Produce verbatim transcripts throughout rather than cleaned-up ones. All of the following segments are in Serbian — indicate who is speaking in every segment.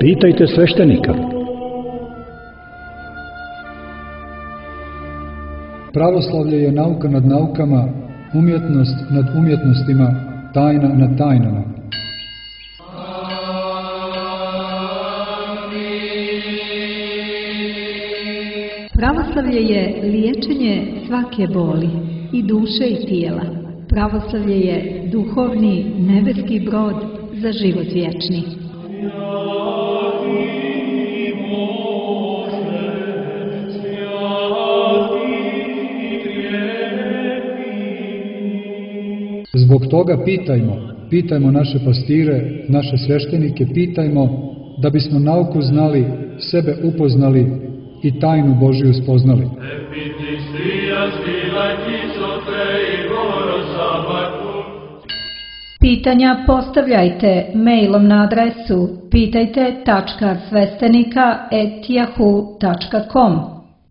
Speaker 1: Pitajte sveštenika.
Speaker 2: Pravoslavlje je nauka nad naukama, umjetnost nad umjetnostima, tajna nad tajnama.
Speaker 3: Pravoslavlje je liječenje svake boli, i duše i tijela. Pravoslavlje je duhovni nebeski brod za život vječni.
Speaker 2: Zbog toga pitajmo, pitajmo naše pastire, naše sveštenike, pitajmo da bismo nauku znali, sebe upoznali i tajnu Božiju spoznali.
Speaker 3: Pitanja postavljajte mailom na adresu pitajte tačka sveštenika et yahoo tačka com,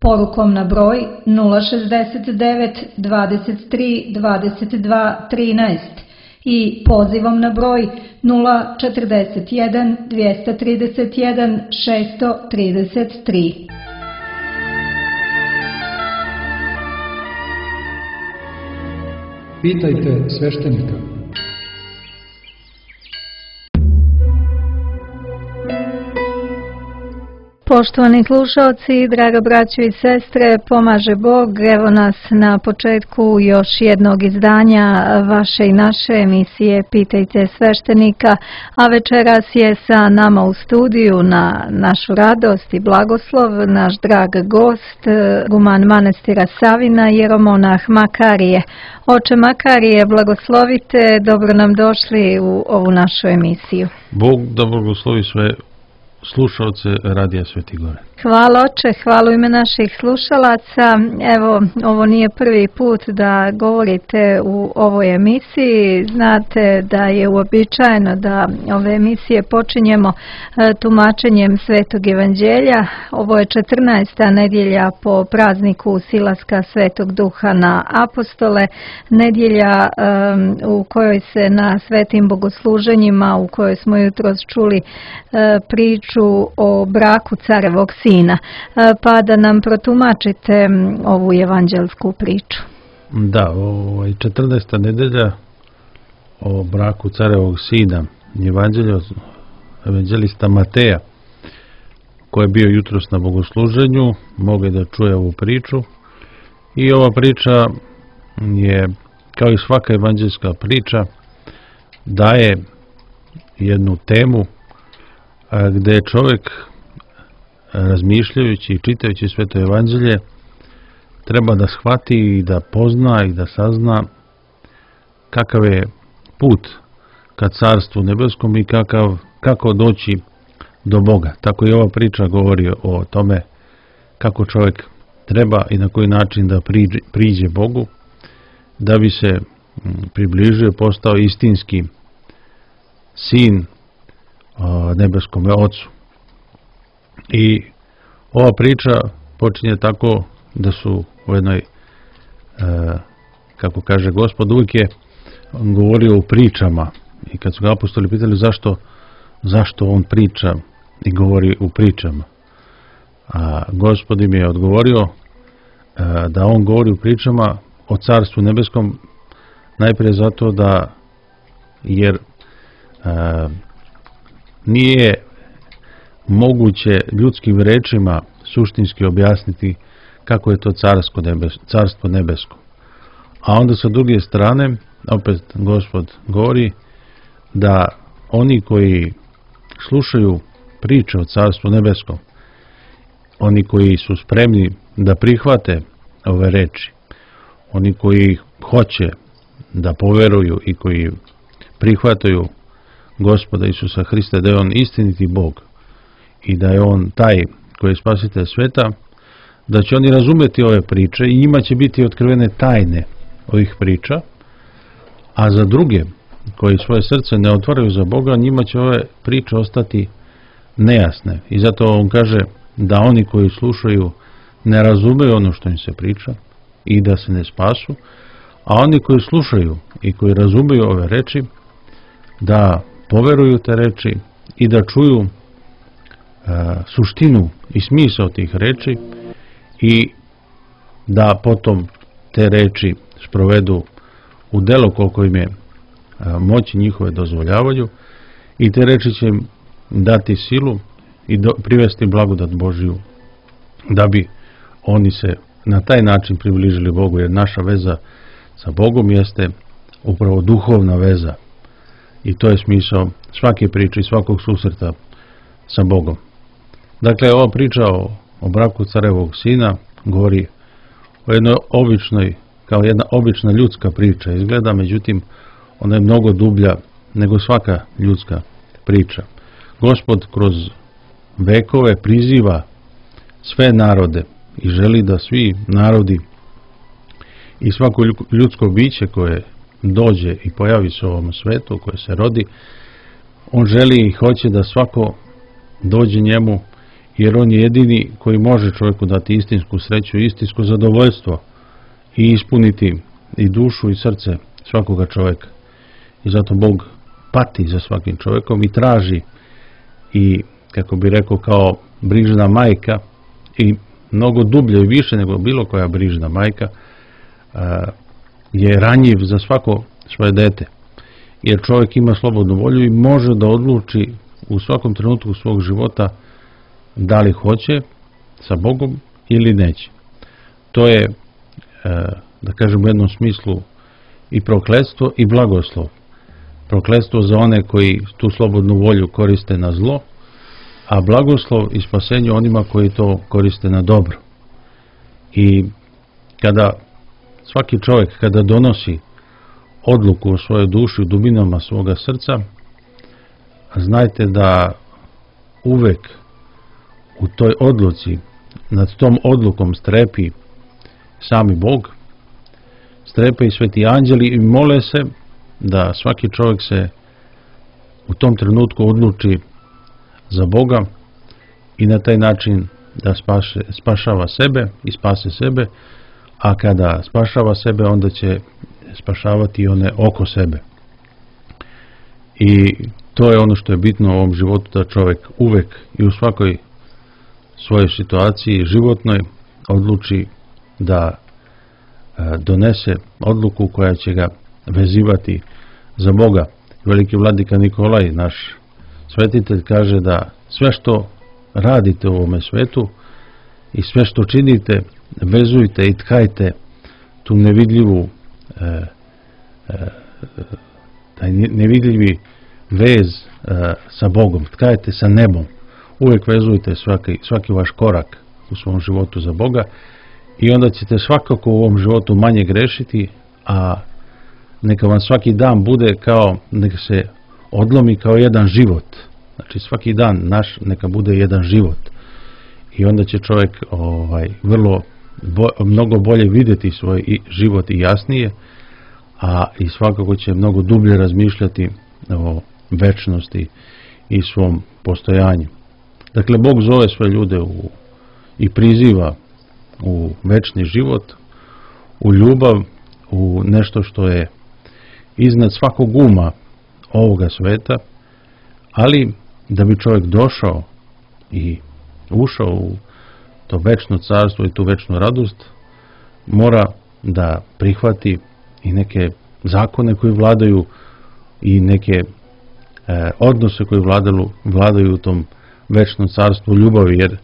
Speaker 3: porukom na broj nula šezdeset devet dvadeset tri dvadeset dva trinaest i pozivom na broj nula četrdeset jedan dvjesto trideset jedan šesto trideset tri.
Speaker 2: Pitajte sveštenika.
Speaker 3: Poštovani slušalci, draga braćo i sestre, pomaže Bog, evo nas na početku još jednog izdanja vaše i naše emisije Pitajte sveštenika, a večeras je sa nama u studiju na našu radost i blagoslov naš drag gost, guman manastira Savina, jeromonah Makarije. Oče Makarije, blagoslovite, dobro nam došli u ovu našu emisiju.
Speaker 4: Bog da blagoslovi sve slušalce Radija Sveti Gore.
Speaker 3: Hvala oče, hvala u ime naših slušalaca. Evo, ovo nije prvi put da govorite u ovoj emisiji. Znate da je uobičajeno da ove emisije počinjemo tumačenjem Svetog Evanđelja. Ovo je četrnaesta nedjelja po prazniku silaska Svetog Duha na apostole. Nedjelja um, u kojoj se na svetim bogosluženjima, u kojoj smo jutros čuli uh, priču o braku carevog sina. Pa da nam protumačite ovu evanđelsku priču.
Speaker 4: Da, ovo je četrnaesta nedelja o braku carevog sina. Evanđelje od evanđelista Mateja, koji je bio jutros na bogosluženju, mogu da čuje ovu priču. I ova priča je, kao i svaka evanđelska priča, daje jednu temu gdje je čovjek, razmišljajući i čitajući Sveto Evanđelje, treba da shvati i da pozna i da sazna kakav je put ka Carstvu nebeskom i kakav, kako doći do Boga. Tako i ova priča govori o tome kako čovjek treba i na koji način da priđe, priđe Bogu, da bi se približio i postao istinski sin nebeskom Ocu. I ova priča počinje tako da su u jednoj, e, kako kaže Gospod, uvijek je govorio o pričama. I kad su ga apostoli pitali zašto, zašto on priča i govori u pričama, a Gospod im je odgovorio e, da on govori u pričama o Carstvu nebeskom, najprije zato da, jer e, nije moguće ljudskim rečima suštinski objasniti kako je to carsko nebes, carstvo nebesko. A onda sa druge strane, opet Gospod govori da oni koji slušaju priče o carstvu nebeskom, oni koji su spremni da prihvate ove reči, oni koji hoće da poveruju i koji prihvataju Gospoda Isusa Hrista, da je on istiniti Bog i da je on taj koji je spasitelj sveta, da će oni razumjeti ove priče i njima će biti otkrivene tajne ovih priča, a za druge koji svoje srce ne otvaraju za Boga, njima će ove priče ostati nejasne. I zato on kaže da oni koji slušaju ne razumeju ono što im se priča i da se ne spasu, a oni koji slušaju i koji razumeju ove reči, da poveruju te reči i da čuju a, suštinu i smisao tih reči i da potom te reči sprovedu u delo koliko im je a, moći njihove dozvoljavaju i te reči će im dati silu i do, privesti blagodat Božiju da bi oni se na taj način približili Bogu, jer naša veza sa Bogom jeste upravo duhovna veza i to je smisao svake priče i svakog susreta sa Bogom. Dakle, ova priča o, o braku carevog sina govori o jednoj običnoj, kao jedna obična ljudska priča izgleda, međutim ona je mnogo dublja nego svaka ljudska priča. Gospod kroz vekove priziva sve narode i želi da svi narodi i svako ljudsko biće koje dođe i pojavi se u ovom svetu, koje se rodi, on želi i hoće da svako dođe njemu, jer on je jedini koji može čovjeku dati istinsku sreću, istinsko zadovoljstvo i ispuniti i dušu i srce svakoga čovjeka. I zato Bog pati za svakim čovjekom i traži i, kako bi rekao, kao brižna majka i mnogo dublje i više nego bilo koja brižna majka je ranjiv za svako svoje dete. Jer čovjek ima slobodnu volju i može da odluči u svakom trenutku svog života da li hoće sa Bogom ili neće. To je, da kažem u jednom smislu, i prokletstvo i blagoslov. Prokletstvo za one koji tu slobodnu volju koriste na zlo, a blagoslov i spasenje onima koji to koriste na dobro. I kada svaki čovjek kada donosi odluku u svojoj duši, u dubinama svoga srca, znajte da uvek u toj odluci, nad tom odlukom strepi sami Bog, strepe i sveti anđeli i mole se da svaki čovjek se u tom trenutku odluči za Boga i na taj način da spaše, spašava sebe i spase sebe, a kada spašava sebe onda će spašavati i one oko sebe. I to je ono što je bitno u ovom životu, da čovjek uvek i u svakoj svojoj situaciji životnoj odluči da donese odluku koja će ga vezivati za Boga. Veliki vladika Nikolaj, naš svetitelj, kaže da sve što radite u ovome svetu i sve što činite, vezujte i tkajte tu nevidljivu e, e, taj nevidljivi vez e, sa Bogom, tkajte sa nebom. Uvijek vezujte svaki, svaki vaš korak u svom životu za Boga i onda ćete svakako u ovom životu manje grešiti, a neka vam svaki dan bude kao, neka se odlomi kao jedan život. Znači svaki dan naš neka bude jedan život. I onda će čovjek ovaj, vrlo, bo, mnogo bolje vidjeti svoj i život i jasnije, a i svakako će mnogo dublje razmišljati o večnosti i svom postojanju. Dakle, Bog zove sve ljude u, i priziva u večni život, u ljubav, u nešto što je iznad svakog uma ovoga sveta, ali da bi čovjek došao i ušao u to večno carstvo i tu večnu radost, mora da prihvati i neke zakone koji vladaju i neke e, odnose koji vladaju, vladaju u tom večnom carstvu ljubavi, jer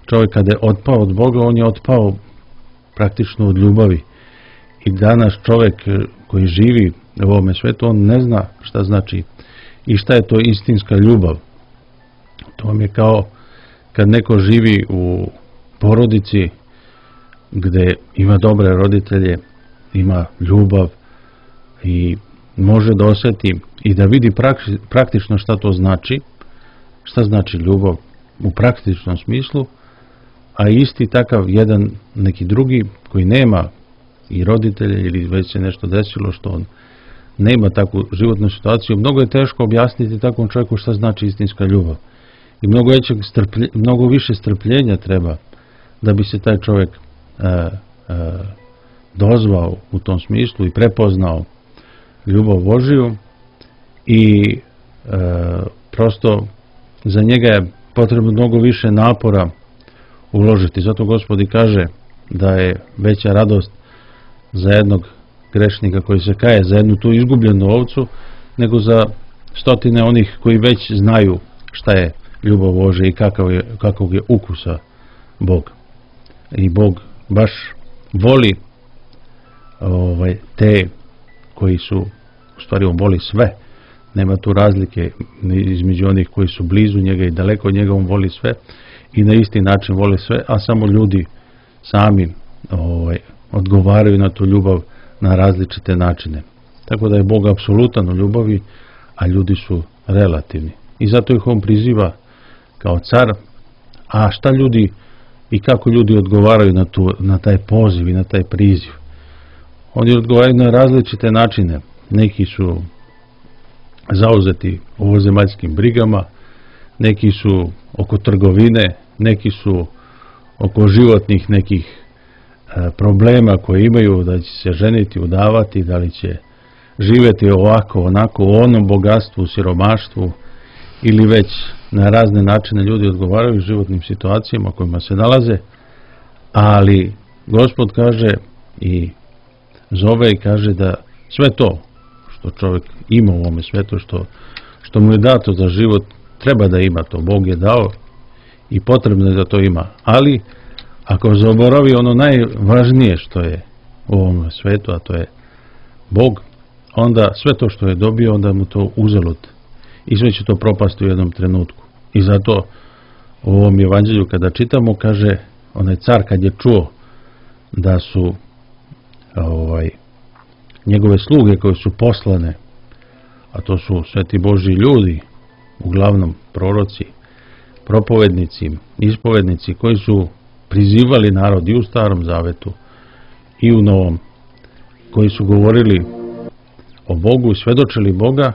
Speaker 4: čovjek kada je otpao od Boga, on je otpao praktično od ljubavi. I danas čovjek koji živi u ovome svetu, on ne zna šta znači i šta je to istinska ljubav. To vam je kao kad neko živi u porodici gdje ima dobre roditelje, ima ljubav i može da osjeti i da vidi praktično šta to znači, šta znači ljubav u praktičnom smislu, a isti takav jedan neki drugi koji nema i roditelje ili već se nešto desilo što on nema takvu životnu situaciju, mnogo je teško objasniti takvom čovjeku šta znači istinska ljubav. I mnogo, strplje, mnogo više strpljenja treba da bi se taj čovjek e, e, dozvao u tom smislu i prepoznao ljubav Božiju i prosto za njega je potrebno mnogo više napora uložiti. Zato Gospod i kaže da je veća radost za jednog grešnika koji se kaje, za jednu tu izgubljenu ovcu, nego za stotine onih koji već znaju šta je ljubav Božja i kakav je, kakvog je ukusa Bog. I Bog baš voli ovaj, te koji su, u stvari on voli sve. Nema tu razlike između onih koji su blizu njega i daleko od njega, on voli sve i na isti način voli sve, a samo ljudi sami ovaj, odgovaraju na tu ljubav na različite načine. Tako da je Bog apsolutan u ljubavi, a ljudi su relativni. I zato ih on priziva kao car, a šta ljudi i kako ljudi odgovaraju na, tu, na taj poziv i na taj priziv. Oni odgovaraju na različite načine. Neki su zauzeti ovozemaljskim brigama, neki su oko trgovine, neki su oko životnih nekih e, problema koje imaju, da će se ženiti, udavati, da li će živjeti ovako, onako, u onom bogatstvu, u siromaštvu, ili već na razne načine ljudi odgovaraju životnim situacijama kojima se nalaze, ali Gospod kaže i zove i kaže da sve to što čovjek ima u ovome svetu, što, što mu je dato za život, treba da ima to. Bog je dao i potrebno je da to ima. Ali ako zaboravi ono najvažnije što je u ovom svetu, a to je Bog, onda sve to što je dobio, onda mu to uzalud. I sve će to propasti u jednom trenutku. I zato u ovom evanđelju kada čitamo, kaže onaj car kad je čuo da su ovaj, njegove sluge koje su poslane, a to su sveti Božji ljudi, uglavnom proroci, propovednici, ispovednici koji su prizivali narod i u Starom Zavetu i u Novom, koji su govorili o Bogu i svedočili Boga,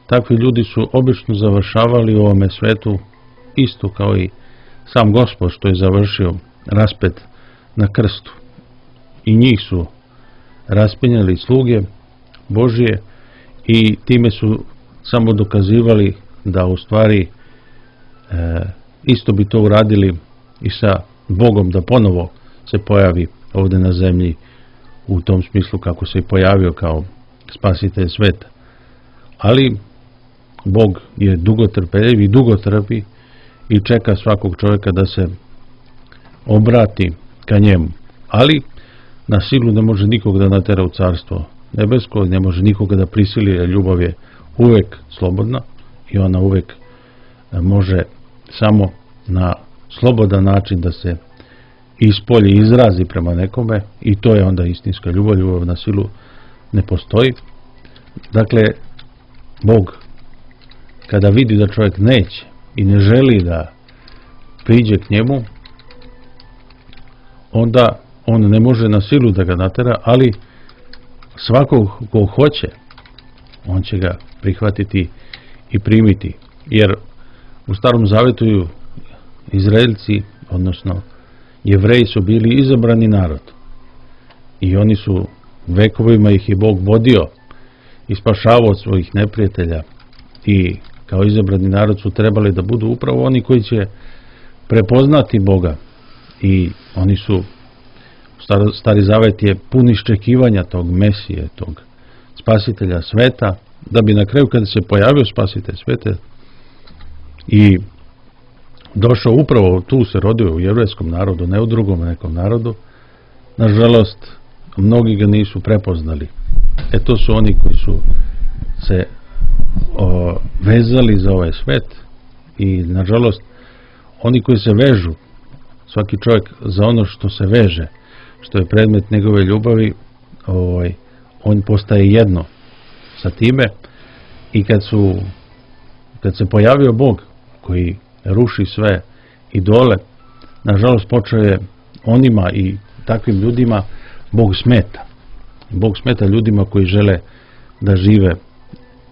Speaker 4: takvi ljudi su obično završavali u ovome svetu isto kao i sam Gospod što je završio raspet na krstu. I njih su raspinjali sluge Božje i time su samo dokazivali da u stvari e, isto bi to uradili i sa Bogom, da ponovo se pojavi ovdje na zemlji u tom smislu kako se i pojavio kao spasitelj sveta. Ali Bog je dugotrpeljiv i dugo trpi i čeka svakog čovjeka da se obrati ka njemu. Ali na silu ne može nikog da natera u carstvo nebesko, ne može nikoga da prisili, jer ljubav je uvek slobodna i ona uvek može samo na slobodan način da se ispolji i izrazi prema nekome, i to je onda istinska ljubav. Ljubav na silu ne postoji. Dakle, Bog kada vidi da čovjek neće i ne želi da priđe k njemu, onda on ne može na silu da ga natera, ali svakog ko hoće, on će ga prihvatiti i primiti. Jer u Starom Zavetu Izraelci, odnosno Jevreji, su bili izabrani narod. I oni su, vekovima ih je Bog vodio i spašavao od svojih neprijatelja. I kao izabrani narod su trebali da budu upravo oni koji će prepoznati Boga. I oni su, Stari Zavet je pun iščekivanja tog Mesije, tog spasitelja sveta, da bi na kraju kada se pojavio spasitelj sveta i došao upravo tu, se rodio u jevrejskom narodu, ne u drugom nekom narodu, nažalost mnogi ga nisu prepoznali. E to su oni koji su se o, vezali za ovaj svet i nažalost oni koji se vežu, svaki čovjek za ono što se veže, što je predmet njegove ljubavi, ovaj, on postaje jedno sa time. I kad su kad se pojavio Bog koji ruši sve idole, nažalost počeo je onima i takvim ljudima Bog smeta. Bog smeta ljudima koji žele da žive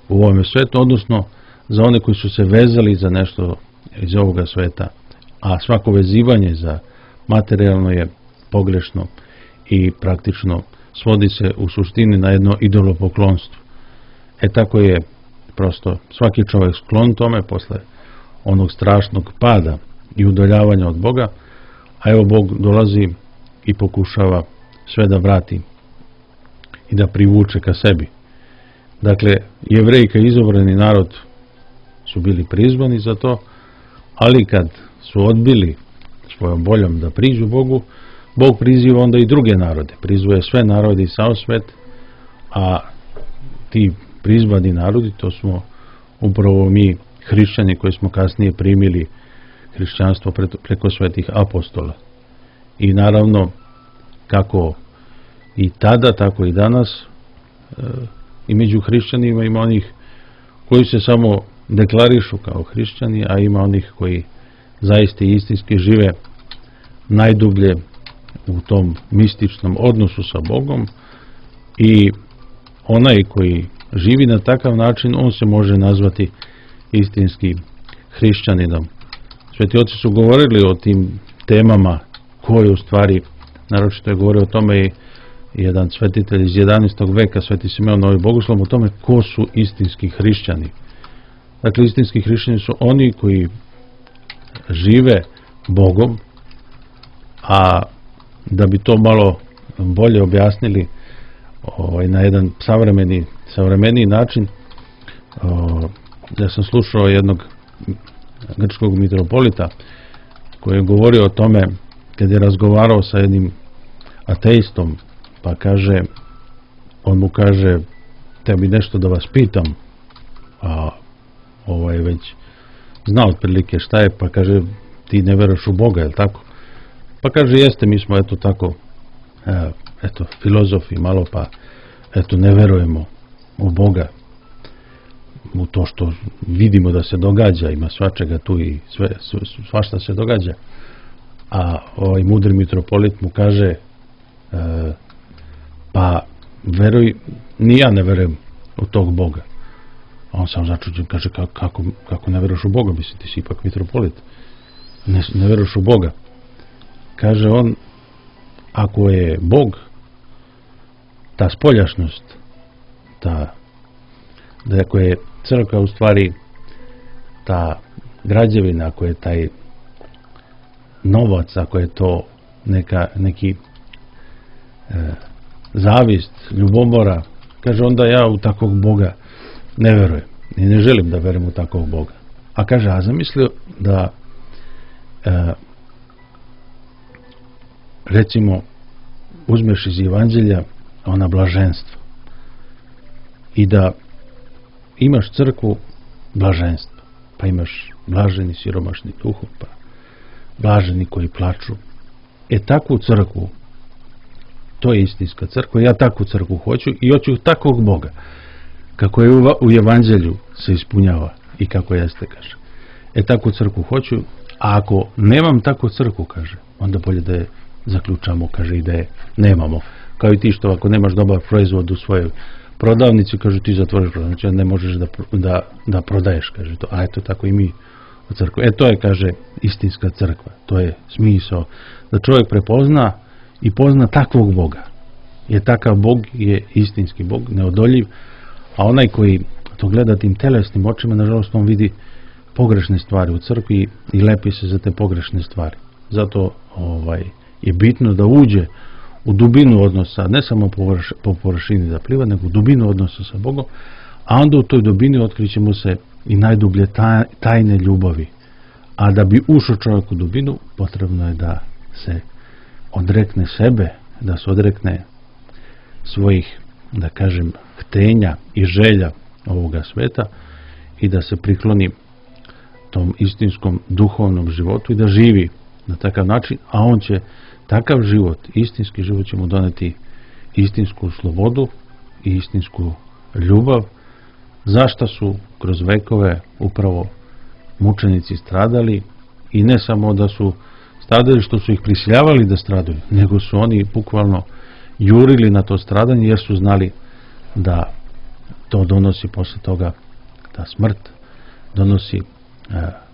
Speaker 4: u ovome svetu, odnosno za one koji su se vezali za nešto iz ovoga sveta. A svako vezivanje za materijalno je pogrešno i praktično svodi se u suštini na jedno idolopoklonstvo. E tako je prosto svaki čovjek sklon tome posle onog strašnog pada i udaljavanja od Boga, a evo Bog dolazi i pokušava sve da vrati i da privuče ka sebi. Dakle, Jevreji kao izabrani narod su bili prizvani za to, ali kad su odbili svojom voljom da priđu Bogu, Bog priziva onda i druge narode, prizvuje sve narode i sav svet, a ti prizvani narodi, to smo upravo mi hrišćani koji smo kasnije primili hrišćanstvo preko svetih apostola. I naravno, kako i tada, tako i danas, e, i među hrišćanima ima onih koji se samo deklarišu kao hrišćani, a ima onih koji zaista istinski žive najdublje u tom mističnom odnosu sa Bogom, i onaj koji živi na takav način, on se može nazvati istinski hrišćaninom. Sveti oci su govorili o tim temama koje u stvari, naročito je govorio o tome i jedan svetitelj iz jedanaestog veka, Sveti Simeon Novi Bogoslov, o tome ko su istinski hrišćani. Dakle, istinski hrišćani su oni koji žive Bogom, a da bi to malo bolje objasnili ovaj, na jedan savremeni, savremeniji način, o, ja sam slušao jednog grčkog mitropolita koji je govorio o tome kad je razgovarao sa jednim ateistom, pa kaže, on mu kaže, tebi nešto da vas pitam, a ovaj već zna otprilike šta je, pa kaže, ti ne veruješ u Boga, je li tako? Pa kaže, jeste, mi smo eto tako, eto, filozofi malo, pa eto, ne verujemo u Boga, u to što vidimo da se događa, ima svačega tu i sve, svašta se događa. A ovaj mudri mitropolit mu kaže, e, pa veruj, ni ja ne verujem u tog Boga. A on sam začuđen, kaže, kako, kako ne veruješ u Boga, misli, ti si ipak mitropolit, ne, ne veruješ u Boga. Kaže on, ako je Bog ta spoljašnost, ta, da ako je crkva u stvari ta građevina, ako je taj novac, ako je to neka, neki e, zavist, ljubomora, kaže, onda ja u takvog Boga ne verujem i ne želim da verujem u takvog Boga. A kaže, a zamislio da e, recimo uzmeš iz Evanđelja ona blaženstva i da imaš crkvu blaženstva, pa imaš blaženi siromašni duhom, pa blaženi koji plaču. E, takvu crkvu, to je istinska crkva, ja takvu crkvu hoću i hoću takvog Boga, kako je u Evanđelju se ispunjava i kako jeste, kaže. E, takvu crkvu hoću, a ako nemam takvu crkvu, kaže, onda bolje da je zaključamo, kaže, i da je nemamo. Kao i ti što ako nemaš dobar proizvod u svojoj prodavnici, kaže, ti zatvoriš prodavnicu, ne možeš da, da, da prodaješ, kaže to. A eto tako i mi u crkvi. E, to je, kaže, istinska crkva. To je smisao da čovjek prepozna i pozna takvog Boga. Jer takav Bog je istinski Bog, neodoljiv, a onaj koji to gleda tim telesnim očima, nažalost, on vidi pogrešne stvari u crkvi i lepi se za te pogrešne stvari. Zato ovaj, je bitno da uđe u dubinu odnosa, ne samo po površini da pliva, nego u dubinu odnosa sa Bogom, a onda u toj dubini otkriće mu se i najdublje tajne ljubavi. A da bi ušao čovjek u dubinu, potrebno je da se odrekne sebe, da se odrekne svojih, da kažem, htenja i želja ovoga sveta i da se prikloni tom istinskom duhovnom životu i da živi na takav način, a on će takav život, istinski život će mu doneti istinsku slobodu i istinsku ljubav, zašto su kroz vekove upravo mučenici stradali, i ne samo da su stradali što su ih prisiljavali da stradaju, nego su oni bukvalno jurili na to stradanje jer su znali da to donosi posle toga, ta smrt donosi e,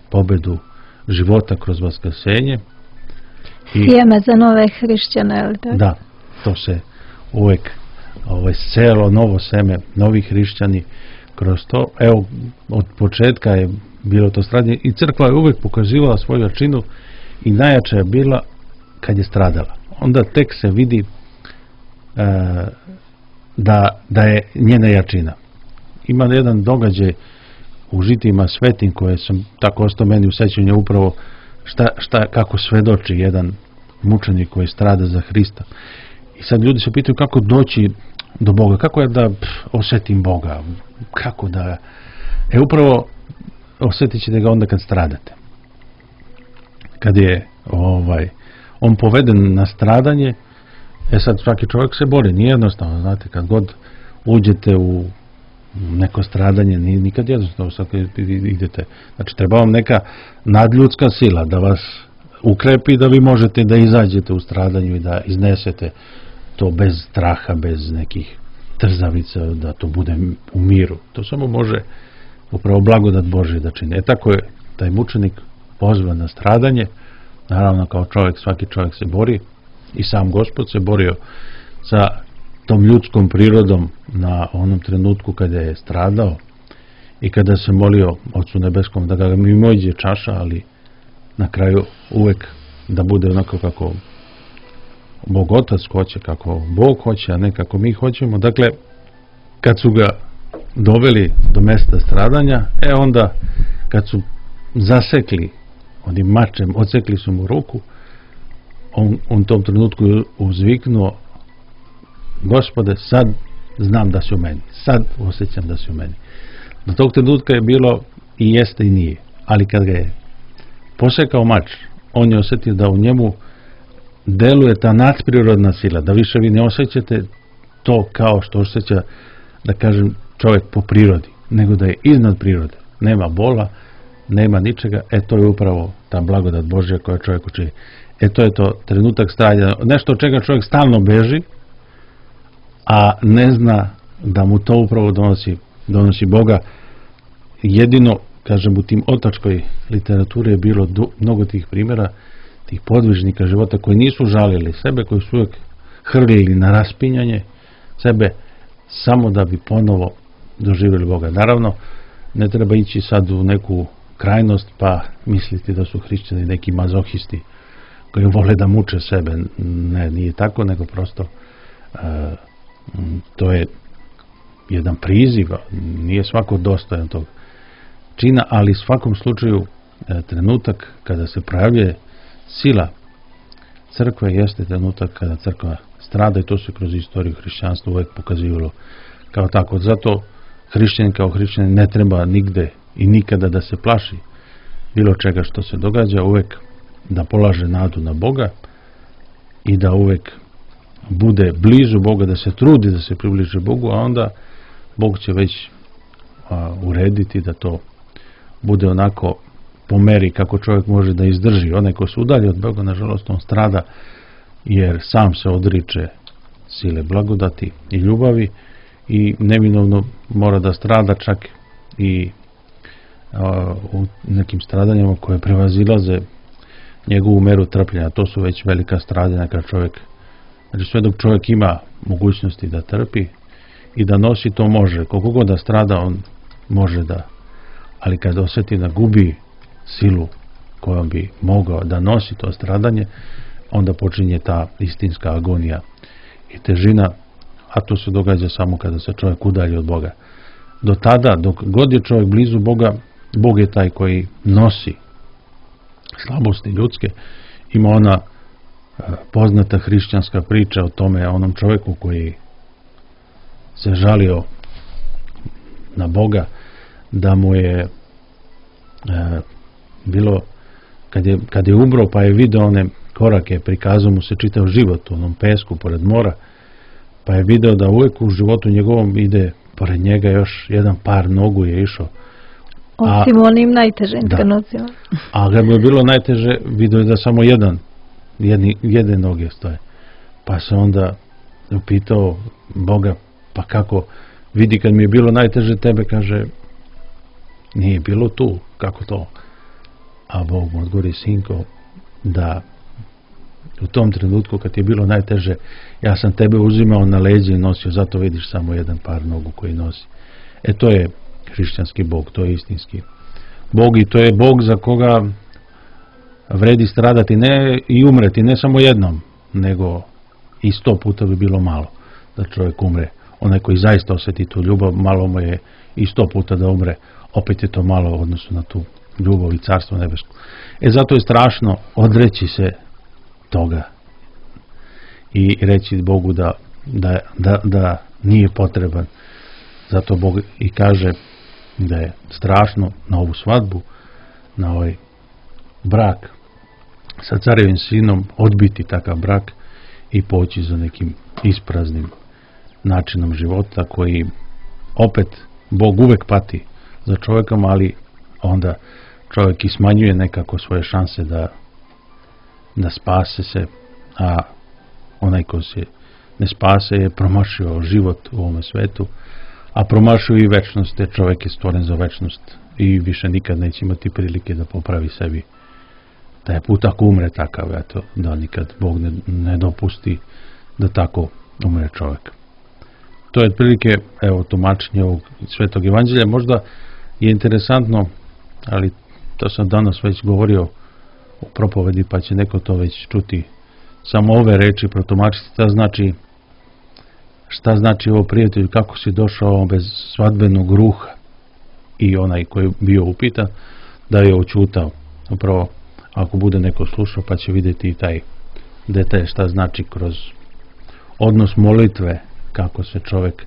Speaker 4: pobedu života kroz vaskrsenje.
Speaker 3: Sjeme za nove hrišćane, ali tako?
Speaker 4: Da, to se uvek ovaj, selo, novo seme, novi hrišćani kroz to. Evo, od početka je bilo to stradanje i crkva je uvijek pokazivala svoju jačinu i najjača je bila kad je stradala. Onda tek se vidi e, da, da je njena jačina. Ima jedan događaj u Žitima svetim koje sam tako ostao meni u sećanju upravo šta, šta, kako svedoči jedan mučenik koji strada za Hrista. I sad ljudi se pitaju kako doći do Boga, kako je da pff, osjetim Boga, kako da... E upravo osjetit ćete ga onda kad stradate. Kad je ovaj, on poveden na stradanje, e sad svaki čovjek se bori, nije jednostavno, znate, kad god uđete u neko stradanje, nije nikad jednostavno, sad kad idete, znači treba vam neka nadljudska sila da vas ukrepi da vi možete da izađete u stradanju i da iznesete to bez straha, bez nekih trzavica, da to bude u miru. To samo može upravo blagodat Božje da čini. E tako je taj mučenik pozvan na stradanje, naravno kao čovjek, svaki čovjek se bori i sam Gospod se borio sa tom ljudskom prirodom na onom trenutku kada je stradao i kada se molio Ocu Nebeskom da ga mi mođe čaša, ali na kraju uvek da bude onako kako Bog Otac hoće, kako Bog hoće, a ne kako mi hoćemo. Dakle, kad su ga doveli do mesta stradanja, e onda kad su zasekli onim mačem, odsekli su mu ruku, on, on tom trenutku uzviknuo: Gospode, sad znam da si u meni, sad osjećam da si u meni. Do tog trenutka je bilo i jeste i nije, ali kad ga je posekao mač, on je osjetio da u njemu deluje ta nadprirodna sila, da više vi ne osjećate to kao što osjeća, da kažem, čovjek po prirodi, nego da je iznad prirode. Nema bola, nema ničega, e to je upravo ta blagodat Božja koja čovjek uči. E to je to trenutak stradanja, nešto od čega čovjek stalno beži, a ne zna da mu to upravo donosi, donosi Boga. Jedino, kažem, u tim otačkoj literaturi je bilo mnogo tih primjera, tih podvižnika života koji nisu žalili sebe, koji su uvijek hrlili na raspinjanje sebe samo da bi ponovo doživjeli Boga. Naravno, ne treba ići sad u neku krajnost pa misliti da su hrišćani neki mazohisti koji vole da muče sebe. Ne, nije tako, nego prosto uh, to je jedan priziv, nije svako dostojan tog čina, ali u svakom slučaju e, trenutak kada se projavljuje sila crkve jeste trenutak kada crkva strada i to se kroz istoriju hrišćanstva uvijek pokazivalo kao tako. Zato hrišćanin kao hrišćanin ne treba nigde i nikada da se plaši bilo čega što se događa, uvijek da polaže nadu na Boga i da uvijek bude blizu Boga, da se trudi da se približi Bogu, a onda Bog će već a, urediti da to bude onako po meri kako čovjek može da izdrži. Onaj ko se udalji od Boga, nažalost, on strada jer sam se odriče sile blagodati i ljubavi i neminovno mora da strada čak i a, u nekim stradanjama koje prevazilaze njegovu meru trpljenja. To su već velika stradanja kad čovjek, znači sve dok čovjek ima mogućnosti da trpi i da nosi, to može. Koliko god da strada, on može da, ali kad osjeti da gubi silu kojom bi mogao da nosi to stradanje, onda počinje ta istinska agonija i težina, a to se događa samo kada se čovjek udalji od Boga. Do tada, dok god je čovjek blizu Boga, Bog je taj koji nosi slabosti ljudske. Ima ona poznata hrišćanska priča o tome, o onom čovjeku koji se žalio na Boga da mu je e, bilo kad je, kad je umro pa je video one korake, prikazao mu se čitav život u onom pesku pored mora, pa je video da uvijek u životu njegovom ide pored njega još jedan par nogu je išao.
Speaker 3: Osim a, onim najtežim trenucima.
Speaker 4: A kad mu je bilo najteže, vidio je da samo jedan jedni, jedne noge stoje. Pa se onda upitao Boga, pa kako vidi kad mi je bilo najteže, tebe, kaže, nije bilo tu, kako to? A Bog mu odgovori: sinko, da u tom trenutku kad je bilo najteže, ja sam tebe uzimao na leđe i nosio, zato vidiš samo jedan par nogu koji nosi. E to je hrišćanski Bog, to je istinski Bog i to je Bog za koga vredi stradati ne i umreti, ne samo jednom, nego i sto puta bi bilo malo da čovjek umre. Onaj koji zaista osjeti tu ljubav, malo mu je i sto puta da umre, opet je to malo u odnosu na tu ljubav i carstvo nebesko. E zato je strašno odreći se toga i reći Bogu da, da, da, da nije potreban. Zato Bog i kaže da je strašno na ovu svadbu, na ovaj brak sa carevim sinom, odbiti takav brak i poći za nekim ispraznim načinom života koji opet Bog uvek pati za čovjekom, ali onda čovjek i smanjuje nekako svoje šanse da, da spase se, a onaj ko se ne spase je promašio život u ovome svetu, a promašio i večnost, jer čovjek je stvoren za večnost i više nikad neće imati prilike da popravi sebi taj put, ako umre takav, eto, da nikad Bog ne, ne dopusti da tako umre čovjek. To je otprilike, evo, tumačenje ovog Svetog Evanđelja. Možda je interesantno, ali to sam danas već govorio u propovedi, pa će neko to već čuti. Samo ove reči protumačiti, šta znači, šta znači ovo, prijatelju, kako si došao bez svadbenog ruha, i onaj koji je bio upitan da je očutao. Upravo ako bude neko slušao, pa će vidjeti i taj detalj šta znači kroz odnos molitve, kako se čovjek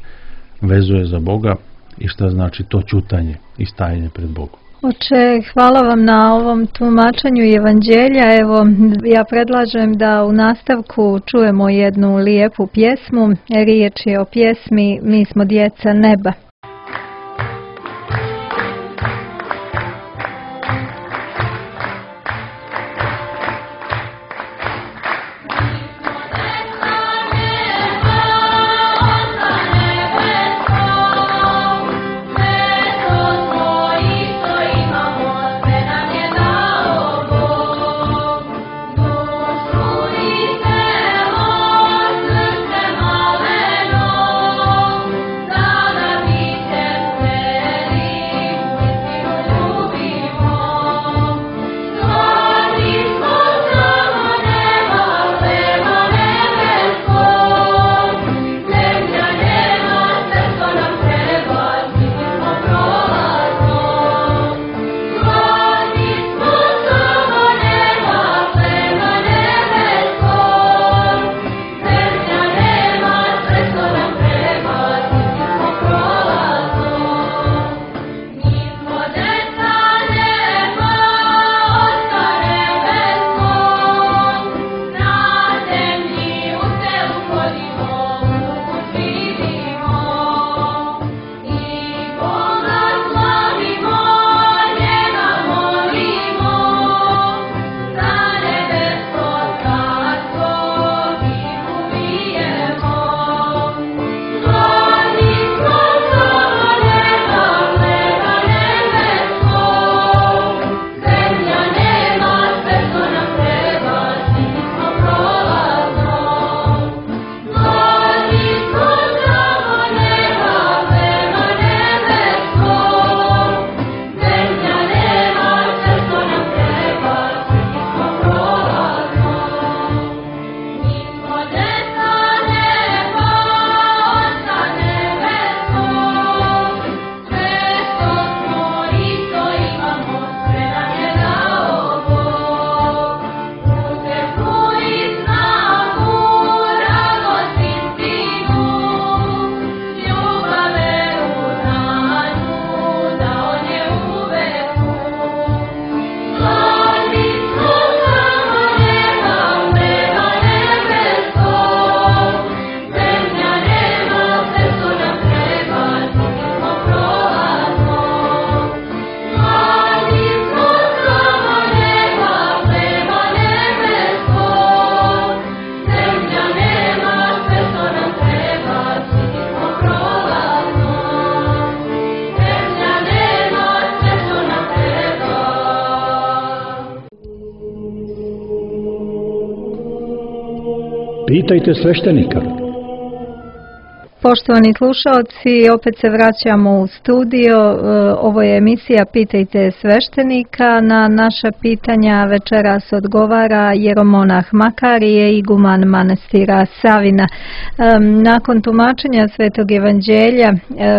Speaker 4: vezuje za Boga i šta znači to čutanje i stajanje pred Bogom.
Speaker 3: Oče, hvala vam na ovom tumačenju Evanđelja. Evo, ja predlažem da u nastavku čujemo jednu lijepu pjesmu. Riječ je o pjesmi Mi smo djeca neba.
Speaker 1: Pitajte sveštenika.
Speaker 3: Poštovani slušalci, opet se vraćamo u studio. Ovo je emisija Pitajte sveštenika. Na naša pitanja večeras odgovara jeromonah Makarije, iguman manastira Savina. Nakon tumačenja Svetog evanđelja,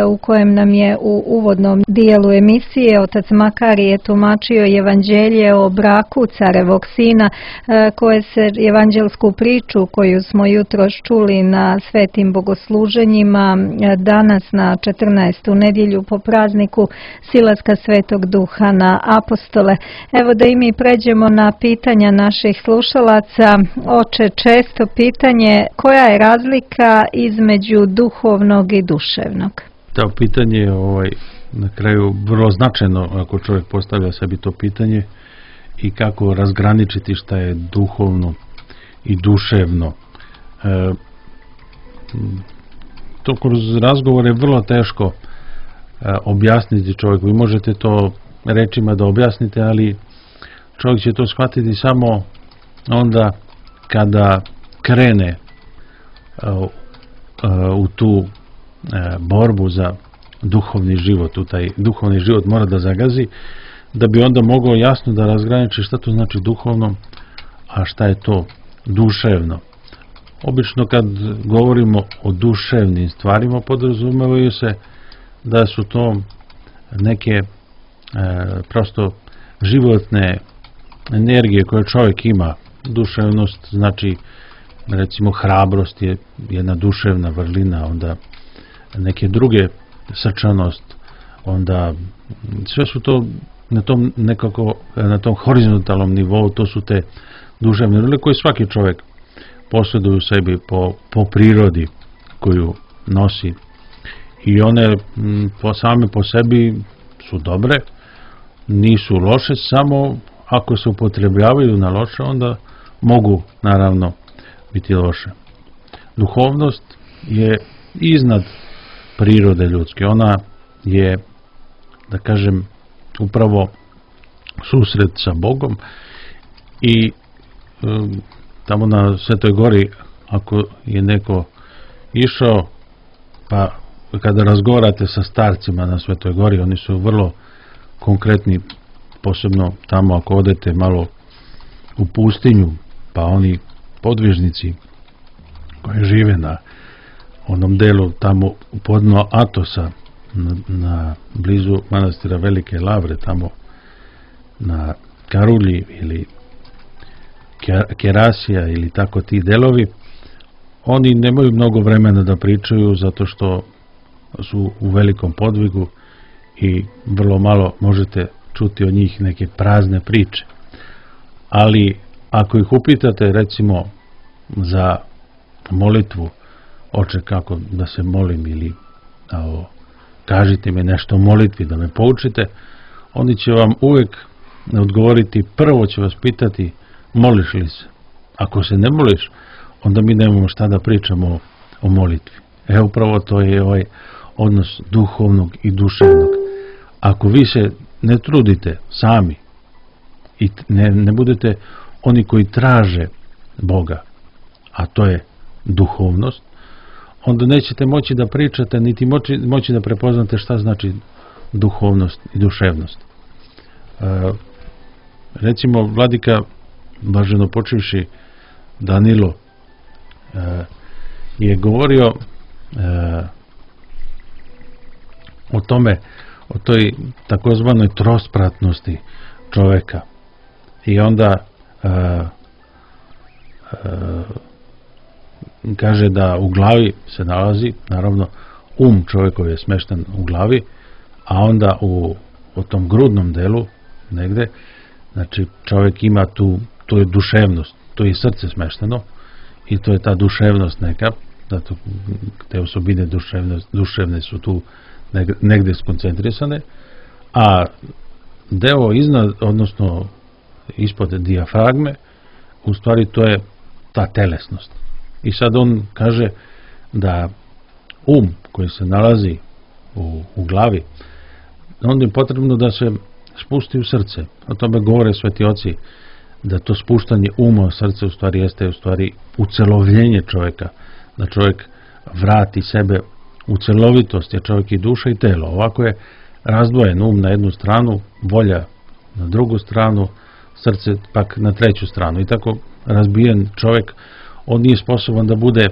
Speaker 3: u kojem nam je u uvodnom dijelu emisije otac Makarije tumačio evanđelje o braku carevog sina, koje se evanđelsku priču koju smo jutros čuli na svetim bogosluženjima danas na četrnaestu nedjelju po prazniku silaska Svetog Duha na apostole. Evo da i mi pređemo na pitanja naših slušalaca. Oče, često pitanje, koja je razlika između duhovnog i duševnog?
Speaker 4: To pitanje je ovaj, na kraju vrlo značajno ako čovjek postavlja sebi to pitanje i kako razgraničiti šta je duhovno i duševno. E, To kroz razgovor je vrlo teško e, objasniti čovjeku. Vi možete to rečima da objasnite, ali čovjek će to shvatiti samo onda kada krene e, e, u tu e, borbu za duhovni život. U taj duhovni život mora da zagazi, da bi onda mogao jasno da razgraniči šta to znači duhovno, a šta je to duševno. Obično kad govorimo o duševnim stvarima podrazumevaju se da su to neke e, prosto životne energije koje čovjek ima. Duševnost znači recimo hrabrost je jedna duševna vrlina, onda neke druge srčanost, onda sve su to na tom nekako na tom horizontalnom nivou, to su te duševne vrline koje svaki čovjek posjeduju sebi po, po prirodi koju nosi i one m, po, same po sebi su dobre, nisu loše, samo ako se upotrebljavaju na loše onda mogu naravno biti loše. Duhovnost je iznad prirode ljudske, ona je, da kažem, upravo susret sa Bogom i um, tamo na Svetoj gori, ako je neko išao, pa kada razgovarate sa starcima na Svetoj gori, oni su vrlo konkretni, posebno tamo ako odete malo u pustinju, pa oni podvižnici koji žive na onom delu tamo u podno Atosa, na, na blizu manastira Velike Lavre, tamo na Karulji ili Kerasija ili tako ti delovi, oni nemaju mnogo vremena da pričaju zato što su u velikom podvigu i vrlo malo možete čuti od njih neke prazne priče. Ali ako ih upitate recimo za molitvu, oče kako da se molim ili o, kažite mi nešto o molitvi da me poučite, oni će vam uvek odgovoriti, prvo će vas pitati moliš li se? Ako se ne moliš, onda mi nemamo šta da pričamo o, o molitvi. E upravo to je ovaj odnos duhovnog i duševnog. Ako vi se ne trudite sami i ne, ne budete oni koji traže Boga, a to je duhovnost, onda nećete moći da pričate, niti moći, moći da prepoznate šta znači duhovnost i duševnost. E, recimo, vladika blaženo počivši Danilo e, je govorio e, o tome, o toj takozvanoj trospratnosti čoveka. I onda e, e, kaže da u glavi se nalazi, naravno um čovjekov je smešten u glavi, a onda u, u tom grudnom delu negde, znači čovjek ima tu, to je duševnost, to je srce smešteno i to je ta duševnost neka, zato te osobine duševne, duševne su tu negde skoncentrisane, a deo iznad, odnosno ispod dijafragme, u stvari to je ta telesnost. I sad on kaže da um koji se nalazi u, u glavi, onda je potrebno da se spusti u srce. O tome govore sveti oci, da to spuštanje uma u srce u stvari jeste u stvari ucelovljenje čovjeka, da čovjek vrati sebe u celovitosti je čovjek i duša i telo. Ovako je razdvojen um na jednu stranu, volja na drugu stranu, srce pak na treću stranu. I tako razbijen čovjek, on nije sposoban da bude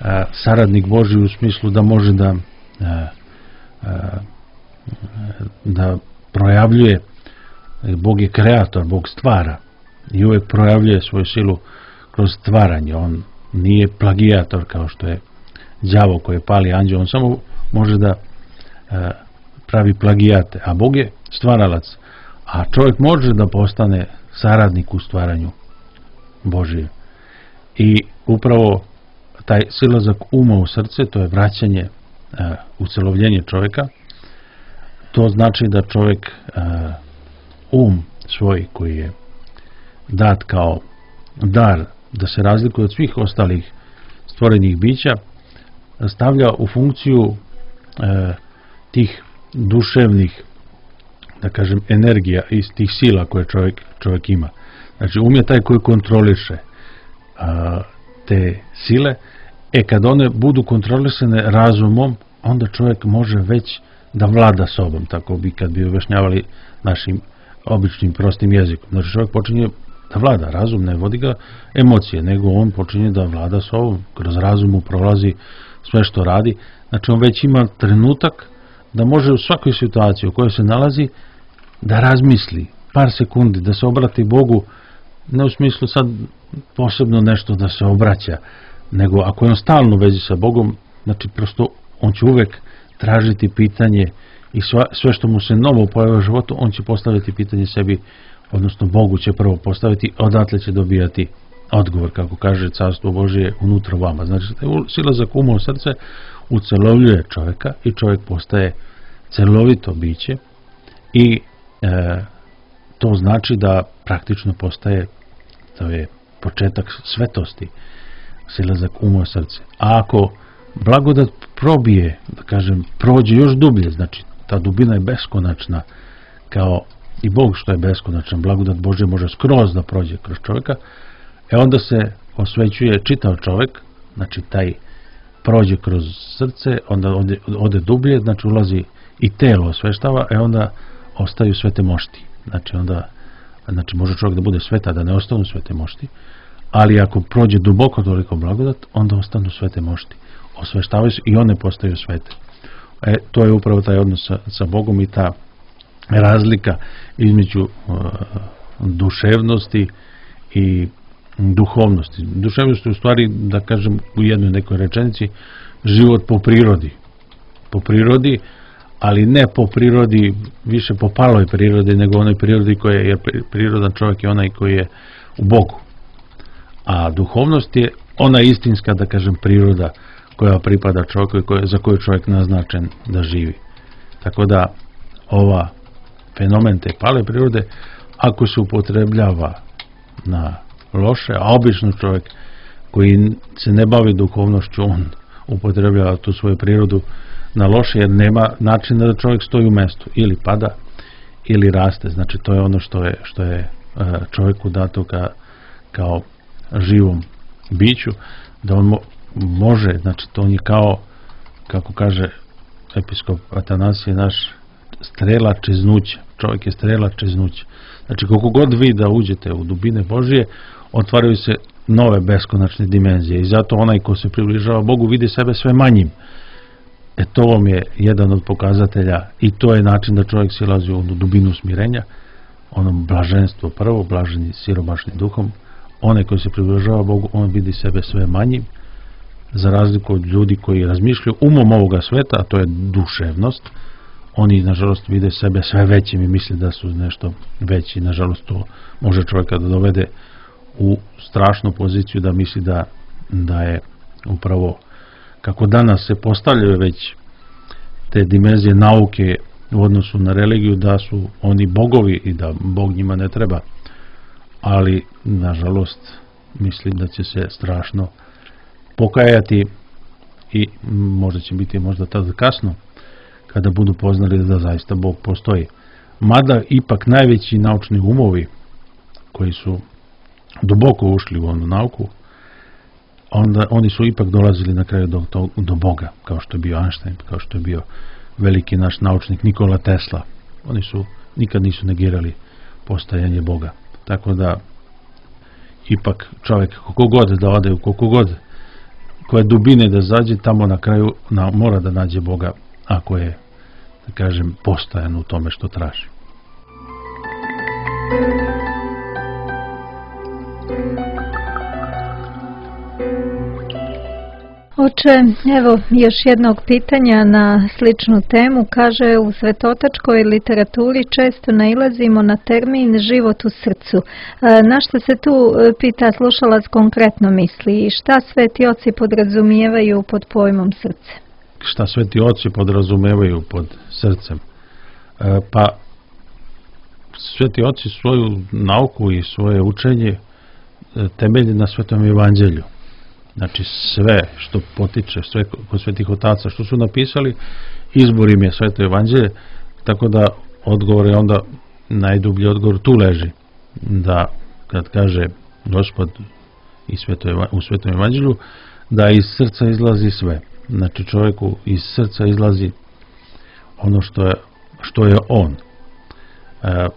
Speaker 4: a, saradnik Božji u smislu da može da a, a, da projavljuje. Bog je kreator, Bog stvara i uvijek projavljuje svoju silu kroz stvaranje. On nije plagijator kao što je đavo koji je pali anđeo, on samo može da a, pravi plagijate, a Bog je stvaralac. A čovjek može da postane saradnik u stvaranju Božije. I upravo taj silazak uma u srce, to je vraćanje, a, ucelovljenje čovjeka. To znači da čovjek a, um svoj koji je dat kao dar da se razlikuje od svih ostalih stvorenih bića, stavlja u funkciju a, tih duševnih, da kažem, energija i tih sila koje čovjek, čovjek ima. Znači, um je taj koji kontroliše a, te sile. E, kad one budu kontrolisane razumom, onda čovjek može već da vlada sobom, tako bi kad bi objašnjavali našim običnim prostim jezikom. Znači, čovjek počinje da vlada, razum ne vodi ga emocije, nego on počinje da vlada sobom, kroz razumu prolazi sve što radi. Znači, on već ima trenutak da može u svakoj situaciji u kojoj se nalazi da razmisli par sekundi, da se obrati Bogu, ne u smislu sad posebno nešto da se obraća, nego ako je on stalno u vezi sa Bogom, znači prosto on će uvek tražiti pitanje i sve što mu se novo pojavlja u životu, on će postaviti pitanje sebi, odnosno Bogu će prvo postaviti, odatle će dobijati odgovor, kako kaže Carstvo Božije unutra vama. Znači, silazak uma u srce ucelovljuje čovjeka i čovjek postaje celovito biće i e, to znači da praktično postaje, to je početak svetosti, silazak uma u srce. A ako blagodat probije, da kažem, prođe još dublje, znači ta dubina je beskonačna, kao i Bog što je beskonačan, blagodat Božje može skroz da prođe kroz čovjeka, e onda se osvećuje čitav čovjek, znači taj prođe kroz srce, onda ode, ode dublje, znači ulazi i telo osveštava, e onda ostaju sve te mošti. Znači onda znači može čovjek da bude sveta, da ne ostanu sve te mošti, ali ako prođe duboko toliko blagodat, onda ostanu sve te mošti. Osveštavaju se i one postaju svete. E, to je upravo taj odnos sa, sa Bogom i ta razlika između uh, duševnosti i duhovnosti. Duševnost je u stvari, da kažem u jednoj nekoj rečenici, život po prirodi. Po prirodi, ali ne po prirodi, više po paloj prirodi, nego onoj prirodi koja je, jer prirodan čovjek je onaj koji je u Bogu. A duhovnost je ona istinska, da kažem, priroda koja pripada čovjeku i koja, za koju čovjek naznačen da živi. Tako da ova fenomen te pale prirode, ako se upotrebljava na loše, a obično čovjek koji se ne bavi duhovnošću, on upotrebljava tu svoju prirodu na loše, jer nema načina da čovjek stoji u mestu, ili pada ili raste. Znači to je ono što je, što je čovjeku dato ka, kao živom biću, da on mo, može, znači to on je kao, kako kaže episkop Atanasije naš, strela čeznuća. Čovjek je strela čeznuća. Znači koliko god vi da uđete u dubine Božije, otvaraju se nove beskonačne dimenzije i zato onaj ko se približava Bogu vidi sebe sve manjim. E to vam je jedan od pokazatelja i to je način da čovjek silazi u dubinu smirenja, ono blaženstvo prvo, blaženi siromašnim duhom. Onaj koji se približava Bogu, on vidi sebe sve manjim, za razliku od ljudi koji razmišljaju umom ovoga sveta, a to je duševnost. Oni, nažalost, vide sebe sve većim i misle da su nešto veći. Nažalost, to može čovjeka da dovede u strašnu poziciju da misli da, da je upravo, kako danas se postavljaju već te dimenzije nauke u odnosu na religiju, da su oni bogovi i da Bog njima ne treba. Ali, nažalost, misli da će se strašno pokajati i možda će biti možda tada kasno, kada budu poznali da zaista Bog postoji. Mada ipak najveći naučni umovi koji su duboko ušli u onu nauku, onda oni su ipak dolazili na kraju do, do, do Boga, kao što je bio Einstein, kao što je bio veliki naš naučnik Nikola Tesla. Oni su nikad nisu negirali postojanje Boga. Tako da ipak čovjek koliko god da ode, koliko god koje dubine da zađe, tamo na kraju na, mora da nađe Boga, ako je, da kažem, postojan u tome što traži.
Speaker 3: Oče, evo još jednog pitanja na sličnu temu. Kaže, u svetotačkoj literaturi često nailazimo na termin život u srcu. Na što se tu, pita slušalac, konkretno misli i šta sveti oci podrazumijevaju pod pojmom srce?
Speaker 4: Šta sveti oci podrazumijevaju pod srcem? E, pa sveti oci svoju nauku i svoje učenje temelji na Svetom evanđelju. Znači sve što potiče, sve kod svetih otaca što su napisali, izbor im je Sveto evanđelje, tako da odgovor je onda, najdublji odgovor tu leži, da kad kaže Gospod i sveto, u Svetom evanđelju, da iz srca izlazi sve. Znači čovjeku iz srca izlazi ono što je, što je on. E,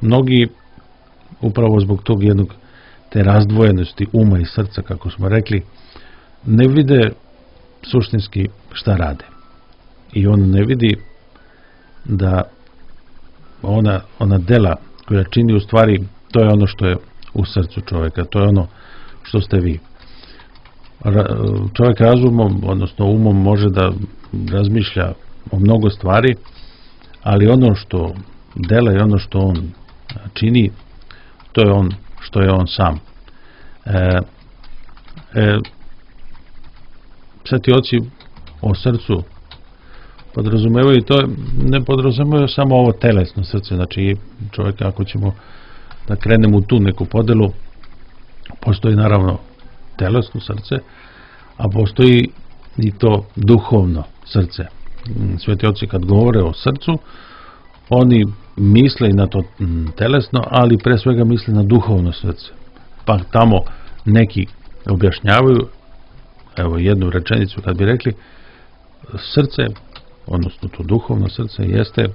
Speaker 4: mnogi upravo zbog tog jednog te razdvojenosti uma i srca, kako smo rekli, ne vide suštinski šta rade. I on ne vidi da ona, ona dela koja čini u stvari, to je ono što je u srcu čovjeka, to je ono što ste vi. Čovjek razumom, odnosno umom, može da razmišlja o mnogo stvari, ali ono što dela i ono što on čini, to je on što je on sam. E, e, sveti oci o srcu podrazumevaju to, ne podrazumevaju samo ovo telesno srce, znači čovjek, ako ćemo da krenemo u tu neku podelu, postoji naravno telesno srce, a postoji i to duhovno srce. Sveti oci kad govore o srcu, oni misle i na to telesno, ali pre svega misle na duhovno srce. Pa tamo neki objašnjavaju, evo jednu rečenicu kad bi rekli, srce, odnosno to duhovno srce, jeste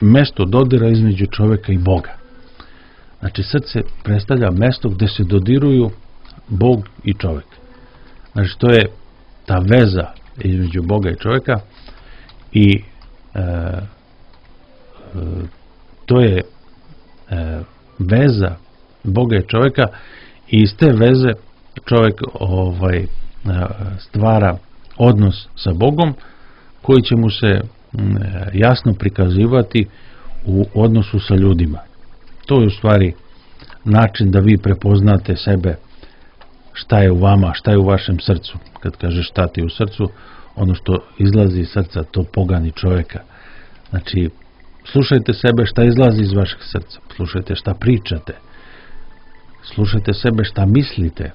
Speaker 4: mesto dodira između čovjeka i Boga. Znači srce predstavlja mesto gdje se dodiruju Bog i čovjek. Znači to je ta veza između Boga i čovjeka i e, e, to je e, veza Boga i čovjeka, i iz te veze čovjek ovaj, stvara odnos sa Bogom koji će mu se jasno prikazivati u odnosu sa ljudima. To je u stvari način da vi prepoznate sebe, šta je u vama, šta je u vašem srcu. Kad kaže šta ti u srcu, ono što izlazi iz srca, to pogani čovjeka. Znači, slušajte sebe šta izlazi iz vašeg srca, slušajte šta pričate, slušajte sebe šta mislite.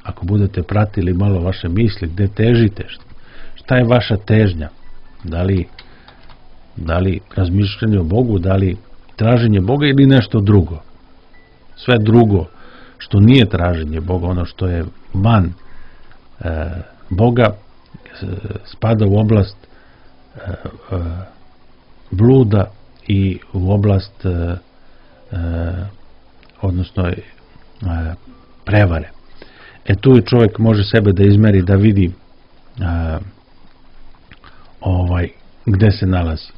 Speaker 4: Ako budete pratili malo vaše misli, gde težite, šta je vaša težnja, da li, da li razmišljanje o Bogu, da li traženje Boga ili nešto drugo. Sve drugo što nije traženje Boga, ono što je van e, Boga, e, spada u oblast e, e, bluda i u oblast e, e, odnosno e, prevare. E tu čovjek može sebe da izmeri, da vidi e, ovaj, gde se nalazi